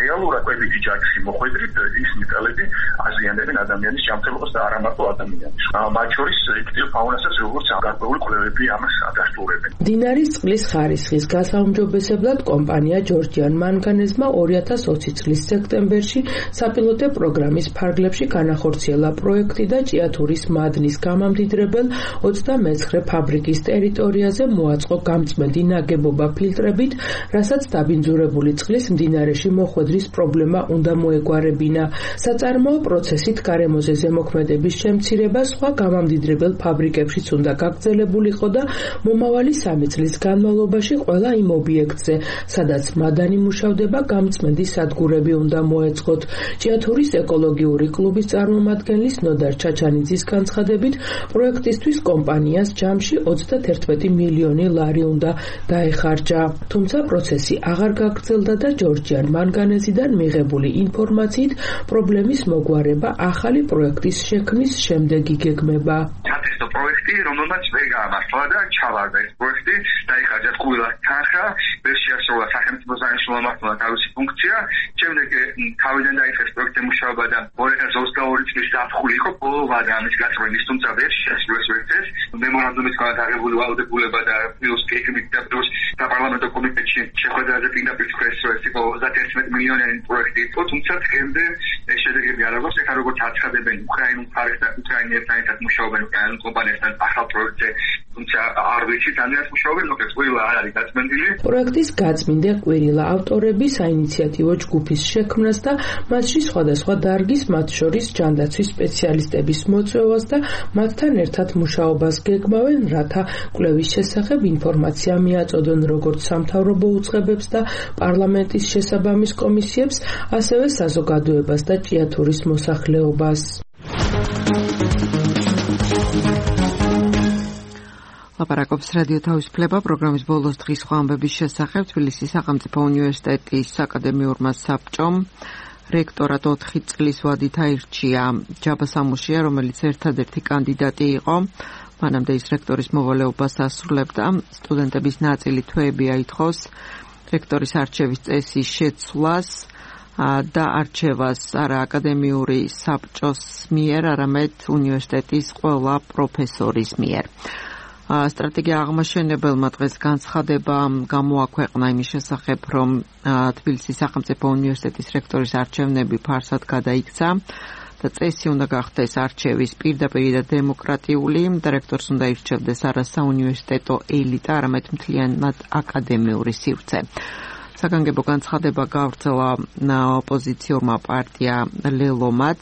რეალურად კვებითი ჯაჭვში მოხვედრით ის მეტალები აზიანებენ ადამიანის ჯანმრთელობას და არა მარტო ადამიანის. მათ შორის აქტიურ ფაუნასაც როგორც გარკვეული კვლევები ამას ადასტურებენ. მდინარის წყლის ხარისხის გასაუმჯობესებლად კომპანია ჯორჯიან მანგანეზმა ორი ათას ოცი წლის სექტემბერში საპილოტე პროგრამის ფარგლებში განახორციელა პროექტი და ჭიათურის მადნის გამამდიდრებელ ოცდამეცხრე ფაბრიკის ტერიტორიაზე მოაწყო გამწმენდი ნაგებობა ფილტრებით, რასაც დაბინძურებული წყლის მდინარეში მოხვედრის პრობლემა უნდა მოეგვარებინა. საწარმოო პროცესით გარემოზე ზემოქმედების შემცირება სხვა გამამდიდრებელ ფაბრიკებშიც უნდა გაგრძელებულიყო და მომავალი სამი წლის განმავლობაში ყველა იმ ობიექტზე, სადაც მადანი მუშავდება, გამწმენდი სადგურები უნდა მოეწყოთ. ჭიათურის ეკოლოგიური კლუბის წარმომადგენლის ნოდარ ჩაჩანიძის განცხადებით, პროექტისთვის კომპანიას ჯამში ოცდაერთმეტი მილიონი ლარი უნდა დაეხარჯა. თუმცა პროცესი აღარ გაგრძელდა და ჯორჯიან მანგანეზიდან მიღებული ინფორმაციით პრობლემის მოგვარება ახალი პროექტის შექმნის შემდეგ იგეგმება. სატესტო პროექტი, რომელმაც ვერ გაამართლა და ჩავარდა ეს პროექტი, დაიხარჯა ყველა თანხა, ვერ შეასრულა სახელმწიფო საინჟინრო თავისი ფუნქცია. შემდეგ თავიდან დაიწყეს პროექტზე მუშაობა და ორი ათას ოცდაორი წლის ზაფხული იყო ბოლო ვადა ამის გაწმენდის, თუმცა ვერ შეასრულეს ვერცეს. მემორანდუმის განადგურებული ვალდებულება და პლუს გეგმით და პლუს საპარლამენტო კომიტეტში შეხვედრაზე პირდაპირ თქვეს, რომ ეს იყო ოცდაერთმეტი მილიონიანი პროექტი იყო, თუმცა დღემდე ეს შედეგები არ აქვს. ეხლა როგორც აცხადებენ უკრაინულ მხარეს და უკრაინელთან ერთად მუშაობენ უკრაინულ კომპანიასთან ახალ პროექტზე, თუმცა არ ვიცით ანიათ მუშაობენ, მოკლედ ყვირილა არ არის გაწმენდილი. პროექტის გაწმენდა ყვირილა ავტორები საინიციატივო ჯგუფის შექმნას და მასში სხვადასხვა დარგის, მათ შორის ჯანდაცვის სპეციალისტების მოწვევას და მათთან ერთად მუშაობას გეგმავენ, რათა კვლევის შესახებ ინფორმაცია მიაწოდონ როგორც სამთავრობო უწყებებს და პარლამენტის შესაბამის კომისიებს, ასევე საზოგადოებას და ჭიათურის მოსახლეობას. ლაპარაკობს რადიო თავისუფლება პროგრამის ბოლოს დღის სხვა ამბების შესახებ. თბილისის სახელმწიფო უნივერსიტეტის აკადემიურმა საბჭომ რექტორად ოთხი წლის ვადით აირჩია ჯაბა სამუშია, რომელიც ერთადერთი კანდიდატი იყო. მანამდე ის რექტორის მოვალეობას ასრულებდა. სტუდენტების ნაწილი თვეები აითხოვს რექტორის არჩევის წესის შეცვლას და არჩევას არა აკადემიური საბჭოს მიერ, არამედ უნივერსიტეტის ყველა პროფესორის მიერ. სტრატეგია აღმაშენებელმა დღეს განცხადება გამოაქვეყნა იმის შესახებ, რომ თბილისის სახელმწიფო უნივერსიტეტის რექტორის არჩევნები ფარსად გადაიქცა და წესი უნდა გახდეს არჩევის პირდაპირი და დემოკრატიული და რექტორს უნდა ირჩევდეს არა საუნივერსიტეტო ელიტა, არამედ მთლიანად აკადემიური სივრცე. საგანგებო განცხადება გავრცელა ოპოზიციურმა პარტია ლელომაც.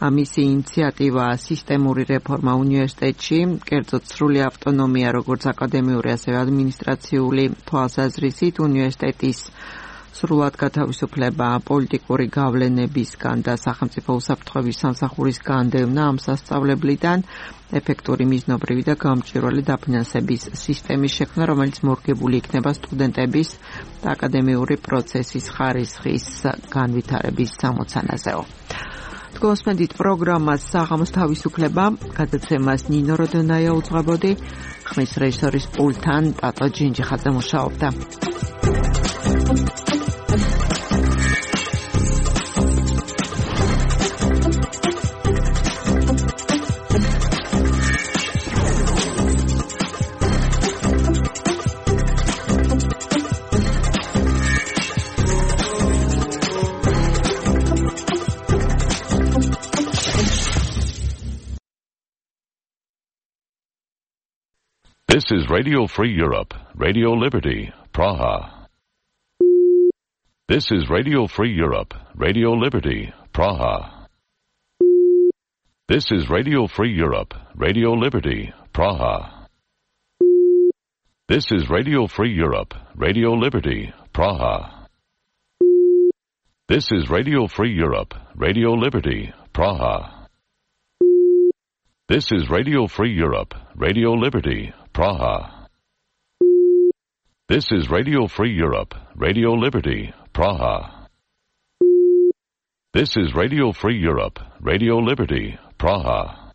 მისი ინიციატივა სისტემური რეფორმა უნივერსიტეტში, კერძოდ სრული ავტონომია როგორც აკადემიური, ასევე ადმინისტრაციული თვალსაზრისით, უნივერსიტეტის სრულად გათავისუფლება პოლიტიკური გავლენებისგან და სახელმწიფო უსაფრთხოების სამსახურის განდევნა ამ სასწავლებლიდან, ეფექტური მიზნობრივი და გამჭვირვალე დაფინანსების სისტემის შექმნა, რომელიც მორგებული იქნება სტუდენტების და აკადემიური პროცესის ხარისხის განვითარების სამოცანაზეო. თქვენსმენდით პროგრამას საღამოს თავისუფლება, გადაცემას ნინო როდონაია უძღვებოდი, ხმის რეჟისორის პულტთან ტატო ჯინჯიხაძე მუშაობდა. This is Radio Free Europe, Radio Liberty, Praha. This is Radio Free Europe, Radio Liberty, Praha. This is Radio Free Europe, Radio Liberty, Praha. This is Radio Free Europe, Radio Liberty, Praha. This is Radio Free Europe, Radio Liberty, Praha. This is Radio Free Europe, Radio Liberty, Praha. This is Radio Free Europe, Radio Liberty, Praha. This is Radio Free Europe, Radio Liberty, Praha.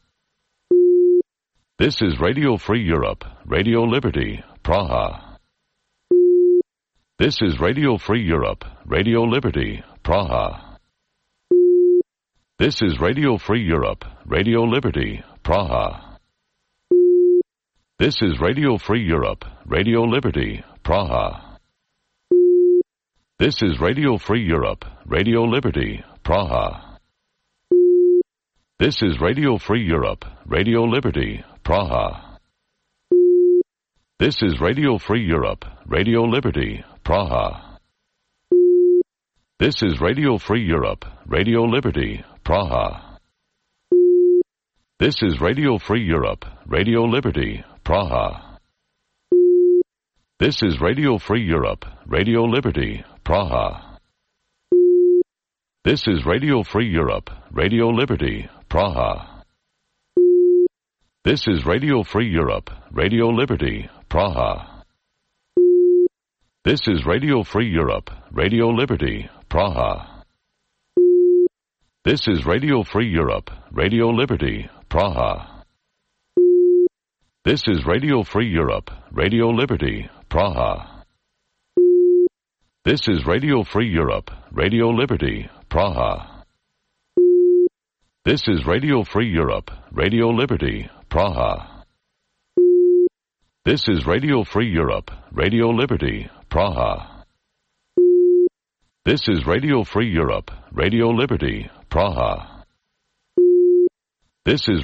This is Radio Free Europe, Radio Liberty, Praha. This is Radio Free Europe, Radio Liberty, Praha. This is Radio Free Europe, Radio Liberty, Praha. This is Radio Free Europe, Radio Liberty, Praha. This is Radio Free Europe, Radio Liberty, Praha. This is Radio Free Europe, Radio Liberty, Praha. This is Radio Free Europe, Radio Liberty, Praha. This is Radio Free Europe, Radio Liberty, Praha. This is Radio Free Europe, Radio Liberty, Praha. This is Radio Free Europe, Radio Liberty, Praha. This is Radio Free Europe, Radio Liberty, Praha. This is Radio Free Europe, Radio Liberty, Praha. This is Radio Free Europe, Radio Liberty, Praha. This is Radio Free Europe, Radio Liberty, Praha. This is Radio Free Europe, Radio Liberty, Praha. This is Radio Free Europe, Radio Liberty, Praha. This is Radio Free Europe, Radio Liberty, Praha. This is Radio Free Europe, Radio Liberty, Praha. This is Radio Free Europe, Radio Liberty, Praha. This is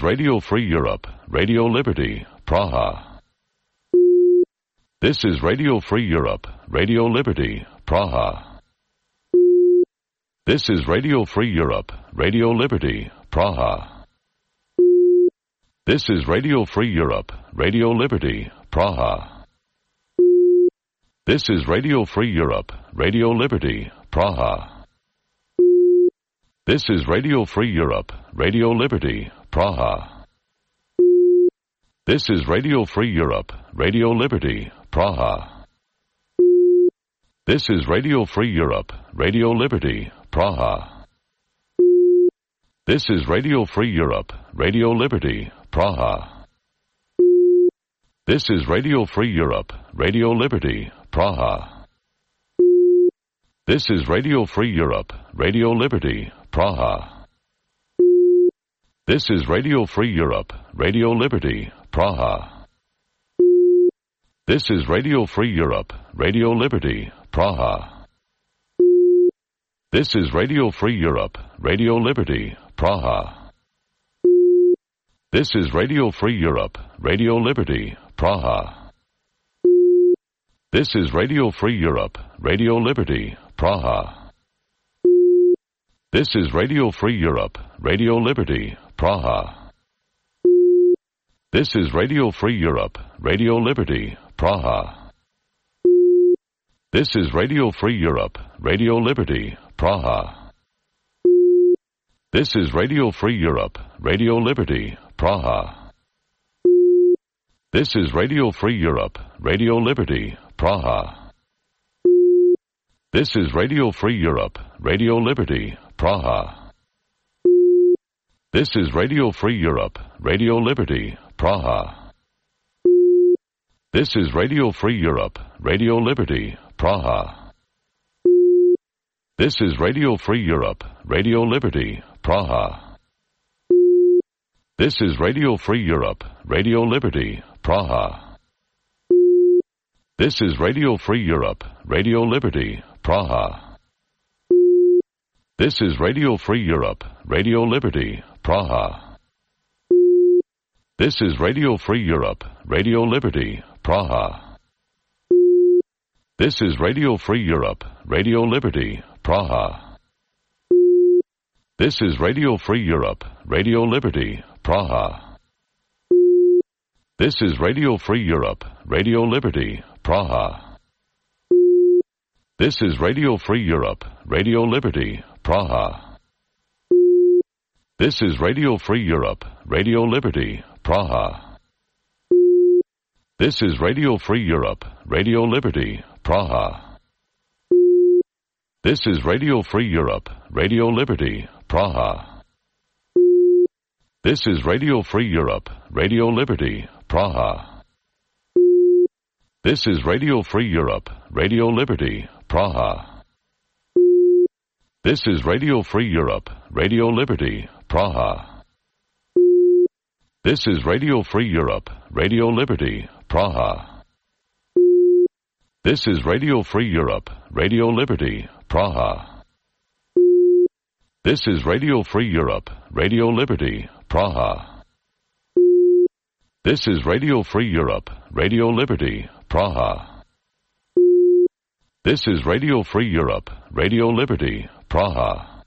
Radio Free Europe, Radio Liberty, Praha. This is Radio Free Europe, Radio Liberty, Praha. This is Radio Free Europe, Radio Liberty, Praha. This is Radio Free Europe, Radio Liberty, Praha. This is Radio Free Europe, Radio Liberty, Praha. This is Radio Free Europe, Radio Liberty, Praha. This is Radio Free Europe, Radio Liberty, Praha. This is Radio Free Europe, Radio Liberty, Praha. This is Radio Free Europe, Radio Liberty, Praha. This is Radio Free Europe, Radio Liberty, Praha. This is Radio Free Europe, Radio Liberty, Praha. This is Radio Free Europe, Radio Liberty, Praha. This is Radio Free Europe, Radio Liberty, Praha. This is Radio Free Europe, Radio Liberty, Praha. This is Radio Free Europe, Radio Liberty, Praha. This is Radio Free Europe, Radio Liberty, Praha. This is Radio Free Europe, Radio Liberty, Praha. This is Radio Free Europe, Radio Liberty, Praha. This is Radio Free Europe, Radio Liberty, Praha. This is Radio Free Europe, Radio Liberty, Praha. This is Radio Free Europe, Radio Liberty, Praha. This is Radio Free Europe, Radio Liberty, Praha. This is Radio Free Europe, Radio Liberty, Praha. This is Radio Free Europe, Radio Liberty, Praha. This is Radio Free Europe, Radio Liberty, Praha. This is Radio Free Europe, Radio Liberty, Praha. This is Radio Free Europe, Radio Liberty, Praha. This is Radio Free Europe, Radio Liberty, Praha. This is Radio Free Europe, Radio Liberty, Praha. This is Radio Free Europe, Radio Liberty, Praha. This is Radio Free Europe, Radio Liberty, Praha. This is Radio Free Europe, Radio Liberty, Praha. This is Radio Free Europe, Radio Liberty, Praha. This is Radio Free Europe, Radio Liberty, Praha. This is Radio Free Europe, Radio Liberty, Praha. This is Radio Free Europe, Radio Liberty, Praha. This is Radio Free Europe, Radio Liberty, Praha. This is Radio Free Europe, Radio Liberty, Praha. This is Radio Free Europe, Radio Liberty, Praha. This is Radio Free Europe, Radio Liberty, Praha. This is Radio Free Europe, Radio Liberty, Praha. This is Radio Free Europe, Radio Liberty, Praha. This is Radio Free Europe, Radio Liberty, Praha. This is Radio Free Europe, Radio Liberty, Praha.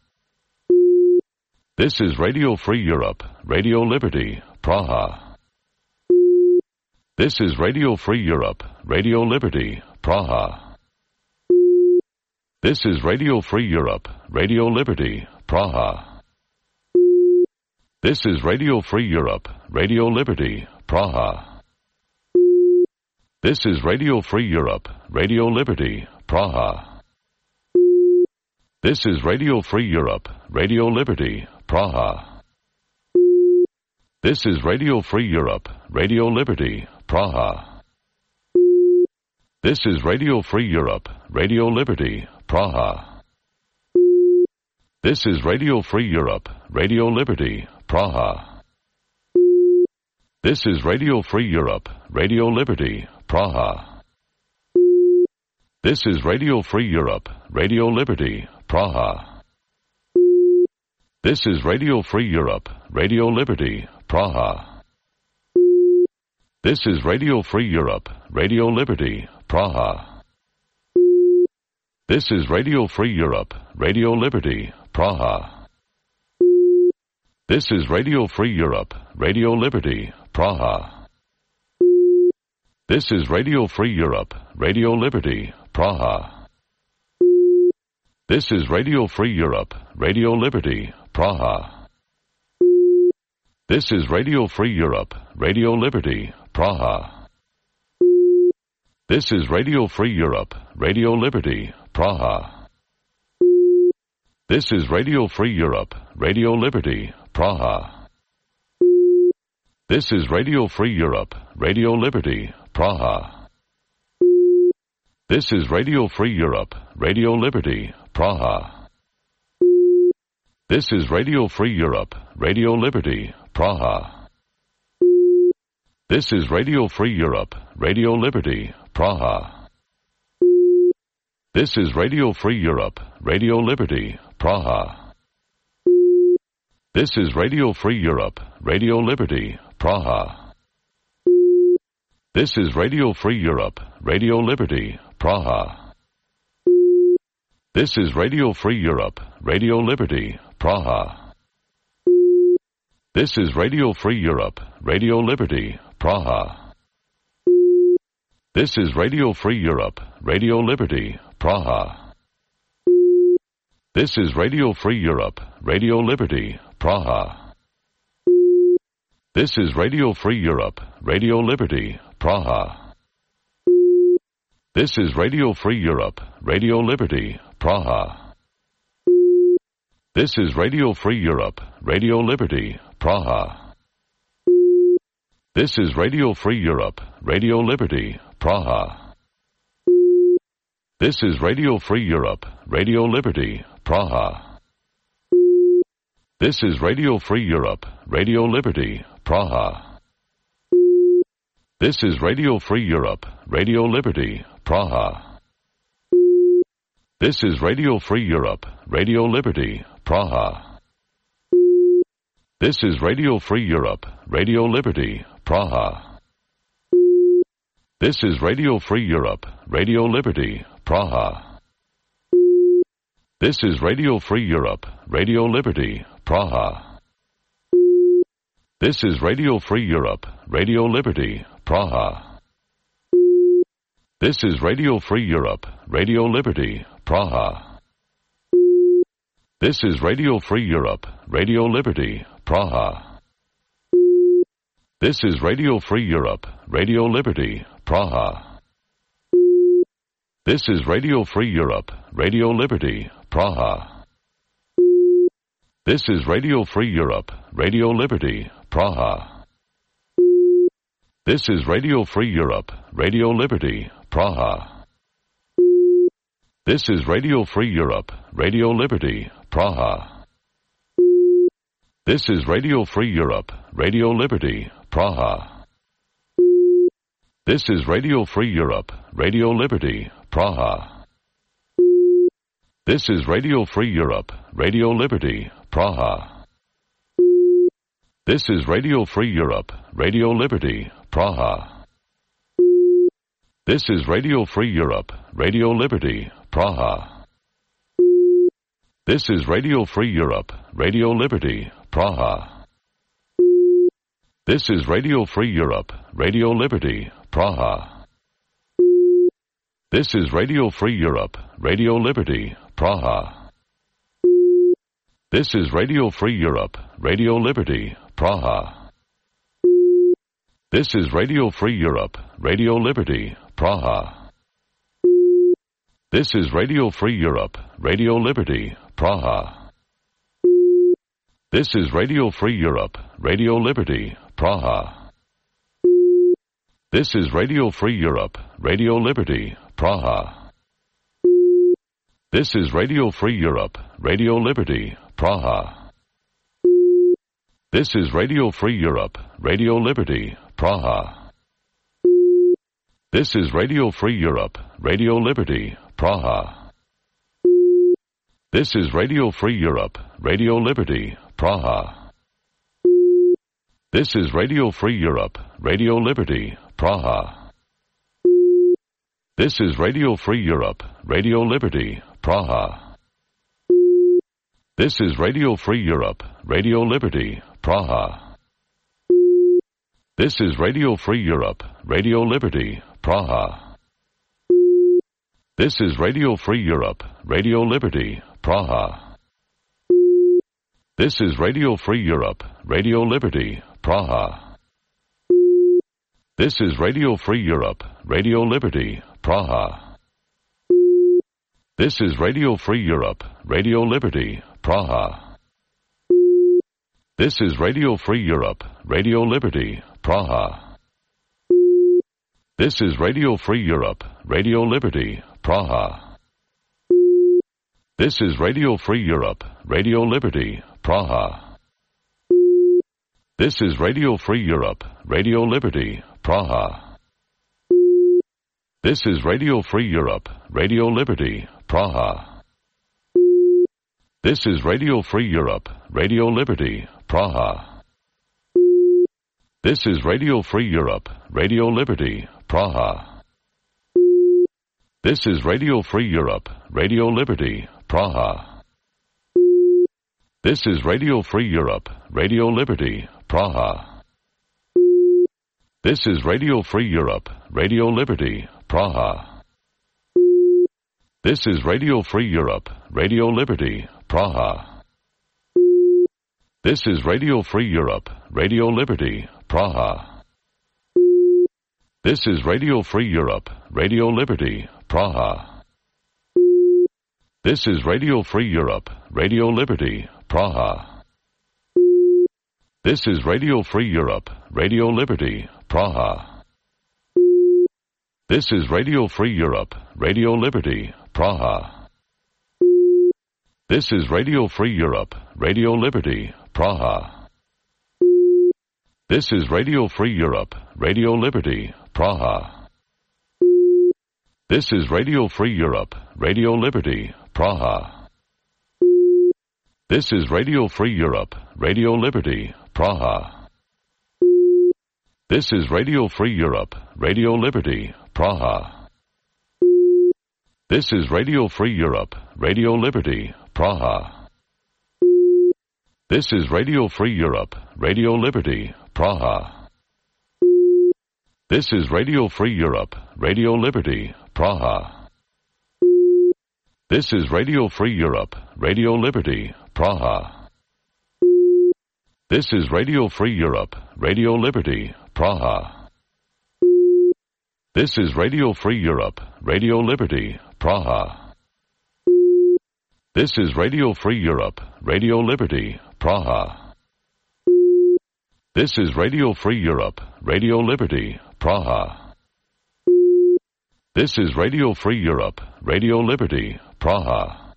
This is Radio Free Europe, Radio Liberty, Praha. This is Radio Free Europe, Radio Liberty, Praha. This is Radio Free Europe, Radio Liberty, Praha. This is Radio Free Europe, Radio Liberty, Praha. This is Radio Free Europe, Radio Liberty, Praha. This is Radio Free Europe, Radio Liberty, Praha. This is Radio Free Europe, Radio Liberty, Praha. This is Radio Free Europe, Radio Liberty, Praha. This is Radio Free Europe, Radio Liberty, Praha. This is Radio Free Europe, Radio Liberty, Praha. This is Radio Free Europe, Radio Liberty, Praha. This is Radio Free Europe, Radio Liberty, Praha. This is Radio Free Europe, Radio Liberty, Praha. This is Radio Free Europe, Radio Liberty, Praha. This is Radio Free Europe, Radio Liberty, Praha. This is Radio Free Europe, Radio Liberty, Praha. This is Radio Free Europe, Radio Liberty, Praha. This is Radio Free Europe, Radio Liberty, Praha. This is Radio Free Europe, Radio Liberty, Praha. This is Radio Free Europe, Radio Liberty, Praha. This is Radio Free Europe, Radio Liberty, Praha. This is Radio Free Europe, Radio Liberty, Praha. This is Radio Free Europe, Radio Liberty, Praha. This is Radio Free Europe, Radio Liberty, Praha. This is Radio Free Europe, Radio Liberty, Praha. This is Radio Free Europe, Radio Liberty, Praha. This is Radio Free Europe, Radio Liberty, Praha. This is Radio Free Europe, Radio Liberty, Praha. This is Radio Free Europe, Radio Liberty, Praha. This is Radio Free Europe, Radio Liberty, Praha. This is Radio Free Europe, Radio Liberty, Praha. This is Radio Free Europe, Radio Liberty, Praha. This is Radio Free Europe, Radio Liberty, Praha. This is Radio Free Europe, Radio Liberty, Praha. This is Radio Free Europe, Radio Liberty, Praha. This is Radio Free Europe, Radio Liberty, Praha. This is Radio Free Europe, Radio Liberty, Praha. This is Radio Free Europe, Radio Liberty, Praha. This is Radio Free Europe, Radio Liberty, Praha. This is Radio Free Europe, Radio Liberty, Praha. This is Radio Free Europe, Radio Liberty, Praha. This is Radio Free Europe, Radio Liberty, Praha. This is Radio Free Europe, Radio Liberty, Praha. This is Radio Free Europe, Radio Liberty, Praha. This is Radio Free Europe, Radio Liberty, Praha. This is Radio Free Europe, Radio Liberty, Praha. This is Radio Free Europe, Radio Liberty, Praha. This is Radio Free Europe, Radio Liberty, Praha. This is Radio Free Europe, Radio Liberty, Praha. This is Radio Free Europe, Radio Liberty, Praha. This is Radio Free Europe, Radio Liberty, Praha. This is Radio Free Europe, Radio Liberty, Praha. This is Radio Free Europe, Radio Liberty, Praha. This is Radio Free Europe, Radio Liberty, Praha. This is Radio Free Europe, Radio Liberty, Praha. This is Radio Free Europe, Radio Liberty, Praha. This is Radio Free Europe, Radio Liberty, Praha. This is Radio Free Europe, Radio Liberty, Praha. This is Radio Free Europe, Radio Liberty, Praha. This is Radio Free Europe, Radio Liberty, Praha. This is Radio Free Europe, Radio Liberty, Praha. This is Radio Free Europe, Radio Liberty, Praha. This is Radio Free Europe, Radio Liberty, Praha. This is Radio Free Europe, Radio Liberty, Praha. This is Radio Free Europe, Radio Liberty, Praha. This is Radio Free Europe, Radio Liberty, Praha. This is Radio Free Europe, Radio Liberty, Praha. This is Radio Free Europe, Radio Liberty, Praha. This is Radio Free Europe, Radio Liberty, Praha. This is Radio Free Europe, Radio Liberty, Praha. This is Radio Free Europe, Radio Liberty, Praha. This is Radio Free Europe, Radio Liberty, Praha. This is Radio Free Europe, Radio Liberty, Praha. This is Radio Free Europe, Radio Liberty, Praha. This is Radio Free Europe, Radio Liberty, Praha. This is Radio Free Europe, Radio Liberty, Praha. This is Radio Free Europe, Radio Liberty, Praha. This is Radio Free Europe, Radio Liberty, Praha. This is Radio Free Europe, Radio Liberty, Praha. This is Radio Free Europe, Radio Liberty, Praha. This is Radio Free Europe, Radio Liberty, Praha. This is Radio Free Europe, Radio Liberty, Praha. This is Radio Free Europe, Radio Liberty, Praha. This is Radio Free Europe, Radio Liberty, Praha. This is Radio Free Europe, Radio Liberty, Praha. This is Radio Free Europe, Radio Liberty, Praha. This is Radio Free Europe, Radio Liberty, Praha. This is Radio Free Europe, Radio Liberty, Praha. This is Radio Free Europe, Radio Liberty, Praha. This is Radio Free Europe, Radio Liberty, Praha. This is Radio Free Europe, Radio Liberty, Praha. This is Radio Free Europe, Radio Liberty, Praha. This is Radio Free Europe, Radio Liberty, Praha. This is Radio Free Europe, Radio Liberty, Praha. This is Radio Free Europe, Radio Liberty, Praha. This is Radio Free Europe, Radio Liberty, Praha. This is Radio Free Europe, Radio Liberty, Praha. This is Radio Free Europe, Radio Liberty, Praha. This is Radio Free Europe, Radio Liberty, Praha. This is Radio Free Europe, Radio Liberty, Praha. This is Radio Free Europe, Radio Liberty, Praha. This is Radio Free Europe, Radio Liberty, Praha. This is Radio Free Europe, Radio Liberty, Praha. This is Radio Free Europe, Radio Liberty, Praha. This is Radio Free Europe, Radio Liberty, Praha.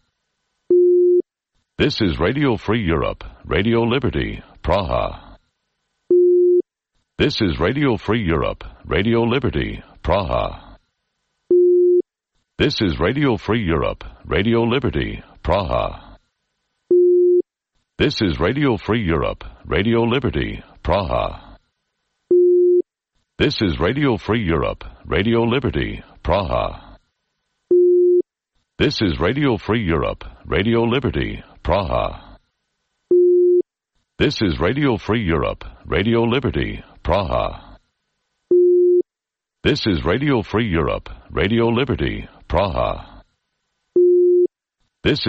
This is Radio Free Europe, Radio Liberty, Praha. This is Radio Free Europe, Radio Liberty, Praha. This is Radio Free Europe, Radio Liberty, Praha. This is Radio Free Europe, Radio Liberty, Praha. This is Radio Free Europe, Radio Liberty, Praha. This is Radio Free Europe, Radio Liberty, Praha. This is Radio Free Europe, Radio Liberty, Praha. This is Radio Free Europe, Radio Liberty, Praha. This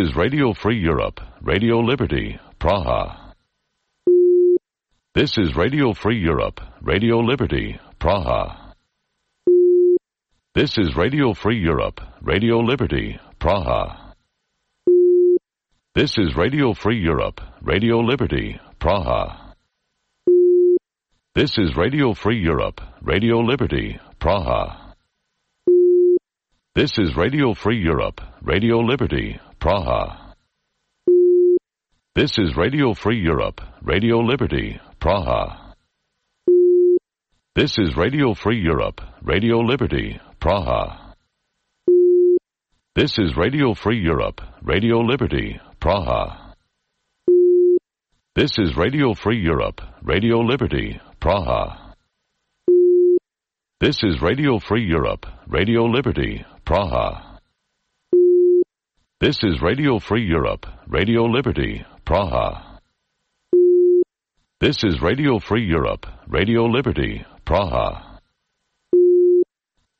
is Radio Free Europe, Radio Liberty, Praha. This is Radio Free Europe, Radio Liberty, Praha. This is Radio Free Europe, Radio Liberty, Praha. This is Radio Free Europe, Radio Liberty, Praha. This is Radio Free Europe, Radio Liberty, Praha. This is Radio Free Europe, Radio Liberty, Praha. This is Radio Free Europe, Radio Liberty, Praha. This is Radio Free Europe, Radio Liberty, Praha. This is Radio Free Europe, Radio Liberty, Praha. This is Radio Free Europe, Radio Liberty, Praha. This is Radio Free Europe, Radio Liberty, Praha. This is Radio Free Europe, Radio Liberty, Praha. This is Radio Free Europe, Radio Liberty, Praha.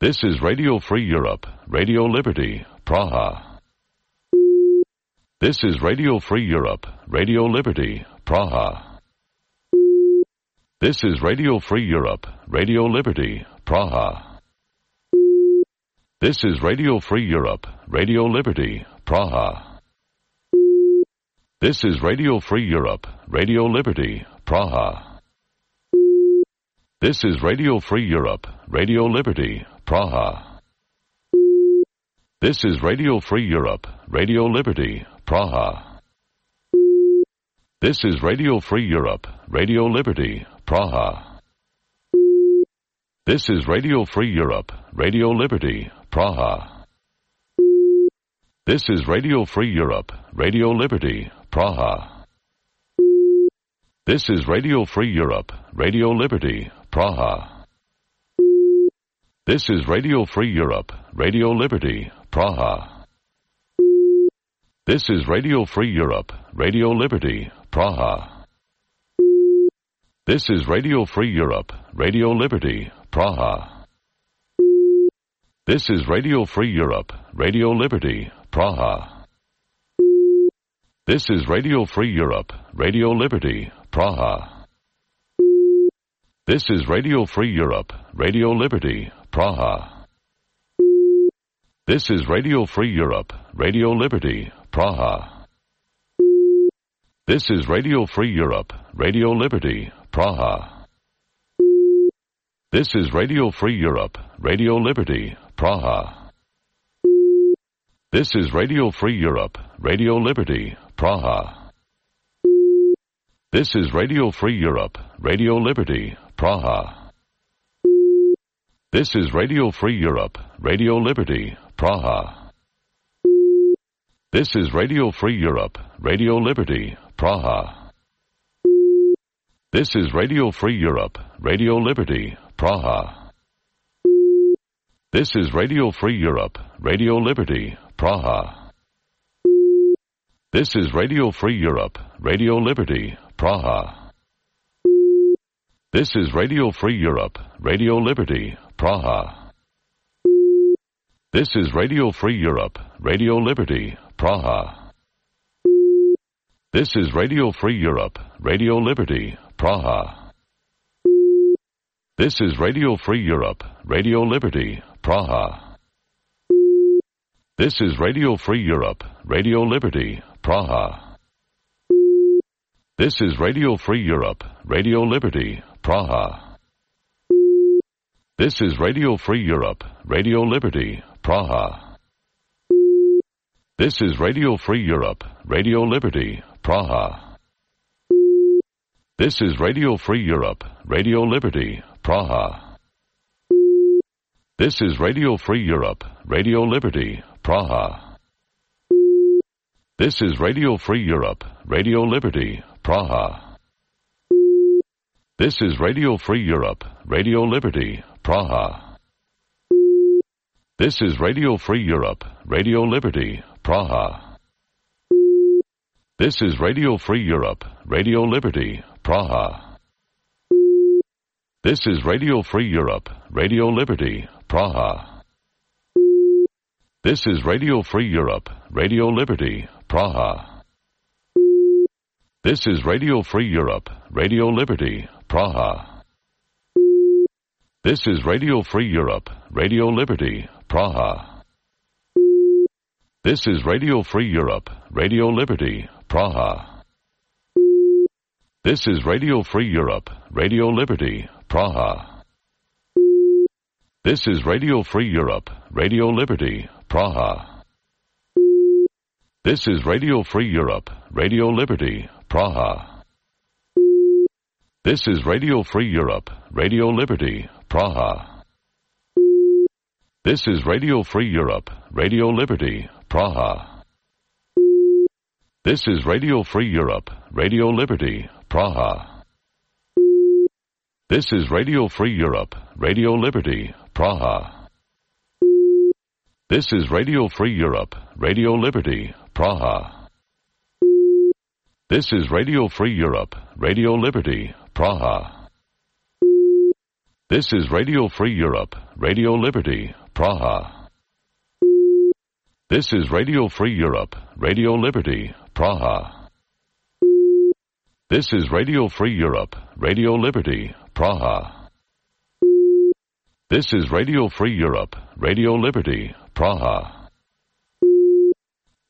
This is Radio Free Europe, Radio Liberty, Praha. This is Radio Free Europe, Radio Liberty, Praha. This is Radio Free Europe, Radio Liberty, Praha. This is Radio Free Europe, Radio Liberty, Praha. This is Radio Free Europe, Radio Liberty, Praha. This is Radio Free Europe, Radio Liberty, Praha. This is Radio Free Europe, Radio Liberty, Praha. This is Radio Free Europe, Radio Liberty, Praha. This is Radio Free Europe, Radio Liberty, Praha. This is Radio Free Europe, Radio Liberty, Praha. This is Radio Free Europe, Radio Liberty, Praha. This is Radio Free Europe, Radio Liberty, Praha. This is Radio Free Europe, Radio Liberty, Praha. This is Radio Free Europe, Radio Liberty, Praha. This is Radio Free Europe, Radio Liberty, Praha. This is Radio Free Europe, Radio Liberty, Praha. This is Radio Free Europe, Radio Liberty, Praha. This is Radio Free Europe, Radio Liberty, Praha. This is Radio Free Europe, Radio Liberty, Praha. This is Radio Free Europe, Radio Liberty, Praha. This is Radio Free Europe, Radio Liberty, Praha. This is Radio Free Europe, Radio Liberty, Praha. This is Radio Free Europe, Radio Liberty, Praha. This is Radio Free Europe, Radio Liberty, Praha. This is Radio Free Europe, Radio Liberty, Praha. This is Radio Free Europe, Radio Liberty, Praha. This is Radio Free Europe, Radio Liberty, Praha. This is Radio Free Europe, Radio Liberty, Praha. This is Radio Free Europe, Radio Liberty, Praha. This is Radio Free Europe, Radio Liberty, Praha. This is Radio Free Europe, Radio Liberty, Praha. This is Radio Free Europe, Radio Liberty, Praha. This is Radio Free Europe, Radio Liberty, Praha. This is Radio Free Europe, Radio Liberty, Praha. This is Radio Free Europe, Radio Liberty, Praha. This is Radio Free Europe, Radio Liberty, Praha. This is Radio Free Europe, Radio Liberty, Praha. This is Radio Free Europe, Radio Liberty, Praha. This is Radio Free Europe, Radio Liberty, Praha. This is Radio Free Europe, Radio Liberty, Praha. This is Radio Free Europe, Radio Liberty, Praha. This is Radio Free Europe, Radio Liberty, Praha. This is Radio Free Europe, Radio Liberty, Praha. This is Radio Free Europe, Radio Liberty, Praha. This is Radio Free Europe, Radio Liberty, Praha. This is Radio Free Europe, Radio Liberty, Praha. This is Radio Free Europe, Radio Liberty, Praha. This is Radio Free Europe, Radio Liberty, Praha. This is Radio Free Europe, Radio Liberty, Praha. This is Radio Free Europe, Radio Liberty, Praha. This is Radio Free Europe, Radio Liberty, Praha. This is Radio Free Europe, Radio Liberty, Praha. This is Radio Free Europe, Radio Liberty, Praha. This is Radio Free Europe, Radio Liberty, Praha. This is Radio Free Europe, Radio Liberty, Praha. This is Radio Free Europe, Radio Liberty, Praha. This is Radio Free Europe, Radio Liberty, Praha. This is Radio Free Europe, Radio Liberty, Praha. This is Radio Free Europe, Radio Liberty, Praha.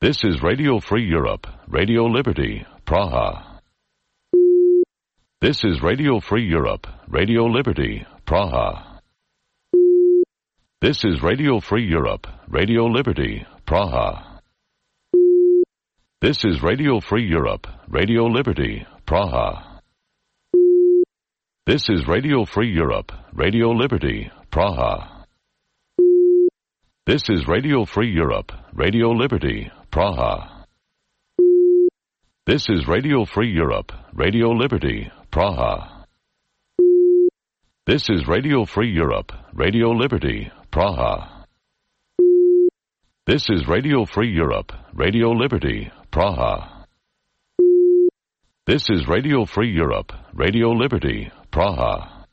This is Radio Free Europe, Radio Liberty, Praha. This is Radio Free Europe, Radio Liberty, Praha. This is Radio Free Europe, Radio Liberty, Praha. This is Radio Free Europe, Radio Liberty, Praha. This is Radio Free Europe, Radio Liberty, Praha. This is Radio Free Europe, Radio Liberty, Praha. This is Radio Free Europe, Radio Liberty, Praha. This is Radio Free Europe, Radio Liberty, Praha. This is Radio Free Europe, Radio Liberty, Praha. This is Radio Free Europe, Radio Liberty, Praha.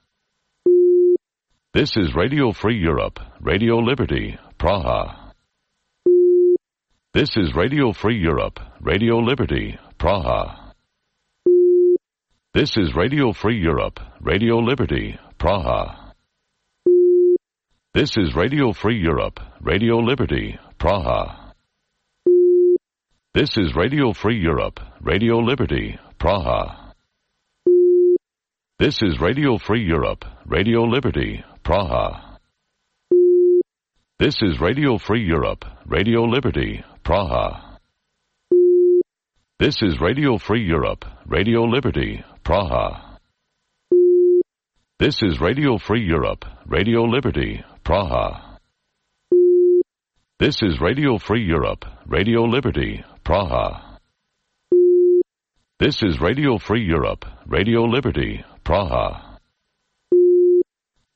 This is Radio Free Europe, Radio Liberty, Praha. This is Radio Free Europe, Radio Liberty, Praha. This is Radio Free Europe, Radio Liberty, Praha. This is Radio Free Europe, Radio Liberty, Praha. This is Radio Free Europe, Radio Liberty, Praha. This is Radio Free Europe, Radio Liberty, Praha. This is Radio Free Europe, Radio Liberty, Praha. This is Radio Free Europe, Radio Liberty, Praha. This is Radio Free Europe, Radio Liberty, Praha. This is Radio Free Europe, Radio Liberty, Praha. This is Radio Free Europe, Radio Liberty, Praha.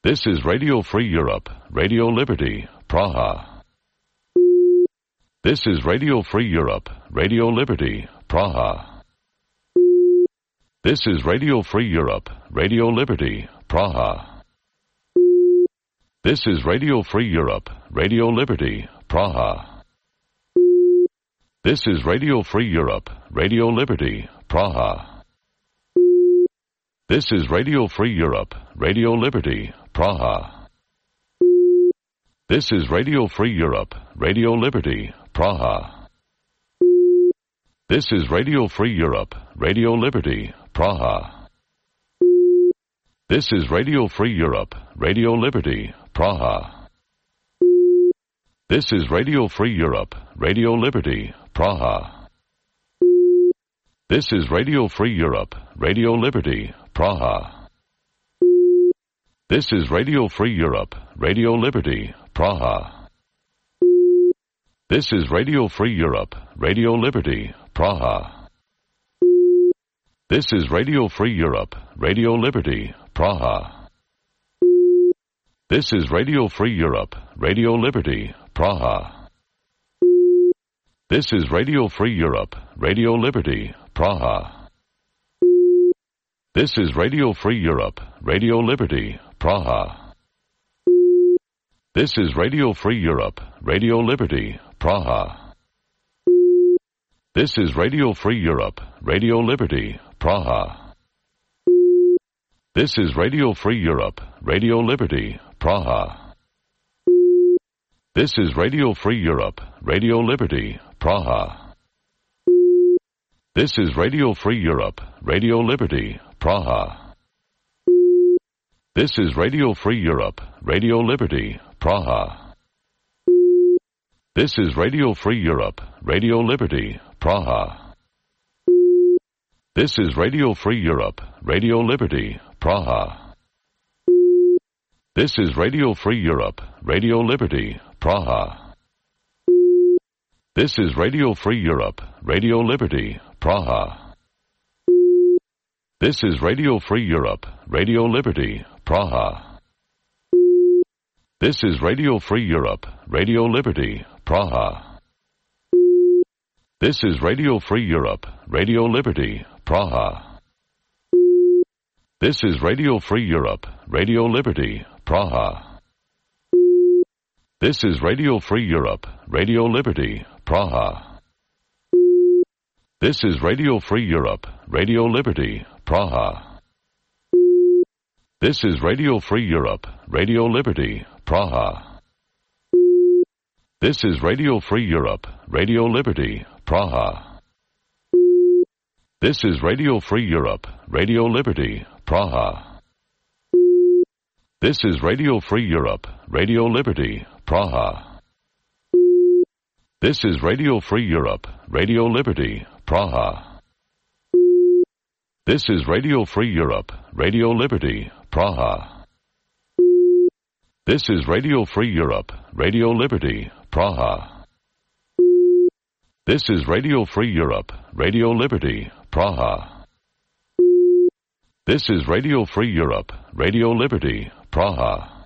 This is Radio Free Europe, Radio Liberty, Praha. This is Radio Free Europe, Radio Liberty, Praha. This is Radio Free Europe, Radio Liberty, Praha. This is Radio Free Europe, Radio Liberty, Praha. This is Radio Free Europe, Radio Liberty, Praha. This is Radio Free Europe, Radio Liberty, Praha. This is Radio Free Europe, Radio Liberty, Praha. This is Radio Free Europe, Radio Liberty, Praha. This is Radio Free Europe, Radio Liberty, Praha. This is Radio Free Europe, Radio Liberty, Praha. This is Radio Free Europe, Radio Liberty, Praha. This is Radio Free Europe, Radio Liberty, Praha. This is Radio Free Europe, Radio Liberty, Praha. This is Radio Free Europe, Radio Liberty, Praha. This is Radio Free Europe, Radio Liberty, Praha. This is Radio Free Europe, Radio Liberty, Praha. This is Radio Free Europe, Radio Liberty, Praha. This is Radio Free Europe, Radio Liberty, Praha. This is Radio Free Europe, Radio Liberty, Praha. This is Radio Free Europe, Radio Liberty, Praha. This is Radio Free Europe, Radio Liberty, Praha. This is Radio Free Europe, Radio Liberty, Praha. This is Radio Free Europe, Radio Liberty, Praha. This is Radio Free Europe, Radio Liberty, Praha. This is Radio Free Europe, Radio Liberty, Praha. This is Radio Free Europe, Radio Liberty, Praha. This is Radio Free Europe, Radio Liberty, Praha. This is Radio Free Europe, Radio Liberty, Praha. This is Radio Free Europe, Radio Liberty, Praha. This is Radio Free Europe, Radio Liberty, Praha. This is Radio Free Europe, Radio Liberty, Praha. This is Radio Free Europe, Radio Liberty, Praha. This is Radio Free Europe, Radio Liberty, Praha. This is Radio Free Europe, Radio Liberty, Praha. This is Radio Free Europe, Radio Liberty, Praha. This is Radio Free Europe, Radio Liberty, Praha. This is Radio Free Europe, Radio Liberty, Praha. This is Radio Free Europe, Radio Liberty, Praha. This is Radio Free Europe, Radio Liberty, Praha. This is Radio Free Europe, Radio Liberty, Praha. This is Radio Free Europe, Radio Liberty, Praha. This is Radio Free Europe, Radio Liberty, Praha.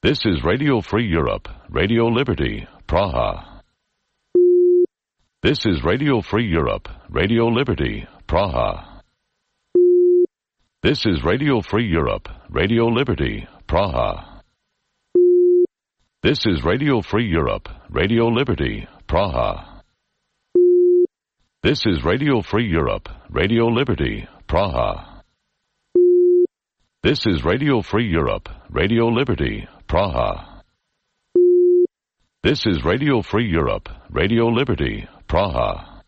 This is Radio Free Europe, Radio Liberty, Praha. This is Radio Free Europe, Radio Liberty, Praha. This is Radio Free Europe, Radio Liberty, Praha. This is Radio Free Europe, Radio Liberty, Praha. This is Radio Free Europe, Radio Liberty, Praha. This is Radio Free Europe, Radio Liberty, Praha. This is Radio Free Europe, Radio Liberty, Praha.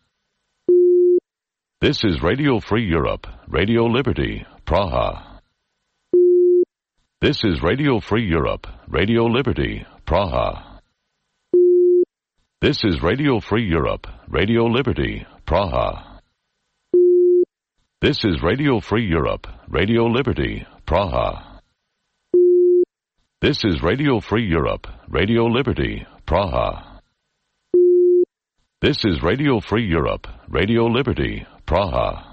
This is Radio Free Europe, Radio Liberty, Praha. This is Radio Free Europe, Radio Liberty, Praha. This is Radio Free Europe, Radio Liberty, Praha. This is Radio Free Europe, Radio Liberty, Praha. This is Radio Free Europe, Radio Liberty, Praha. This is Radio Free Europe, Radio Liberty, Praha.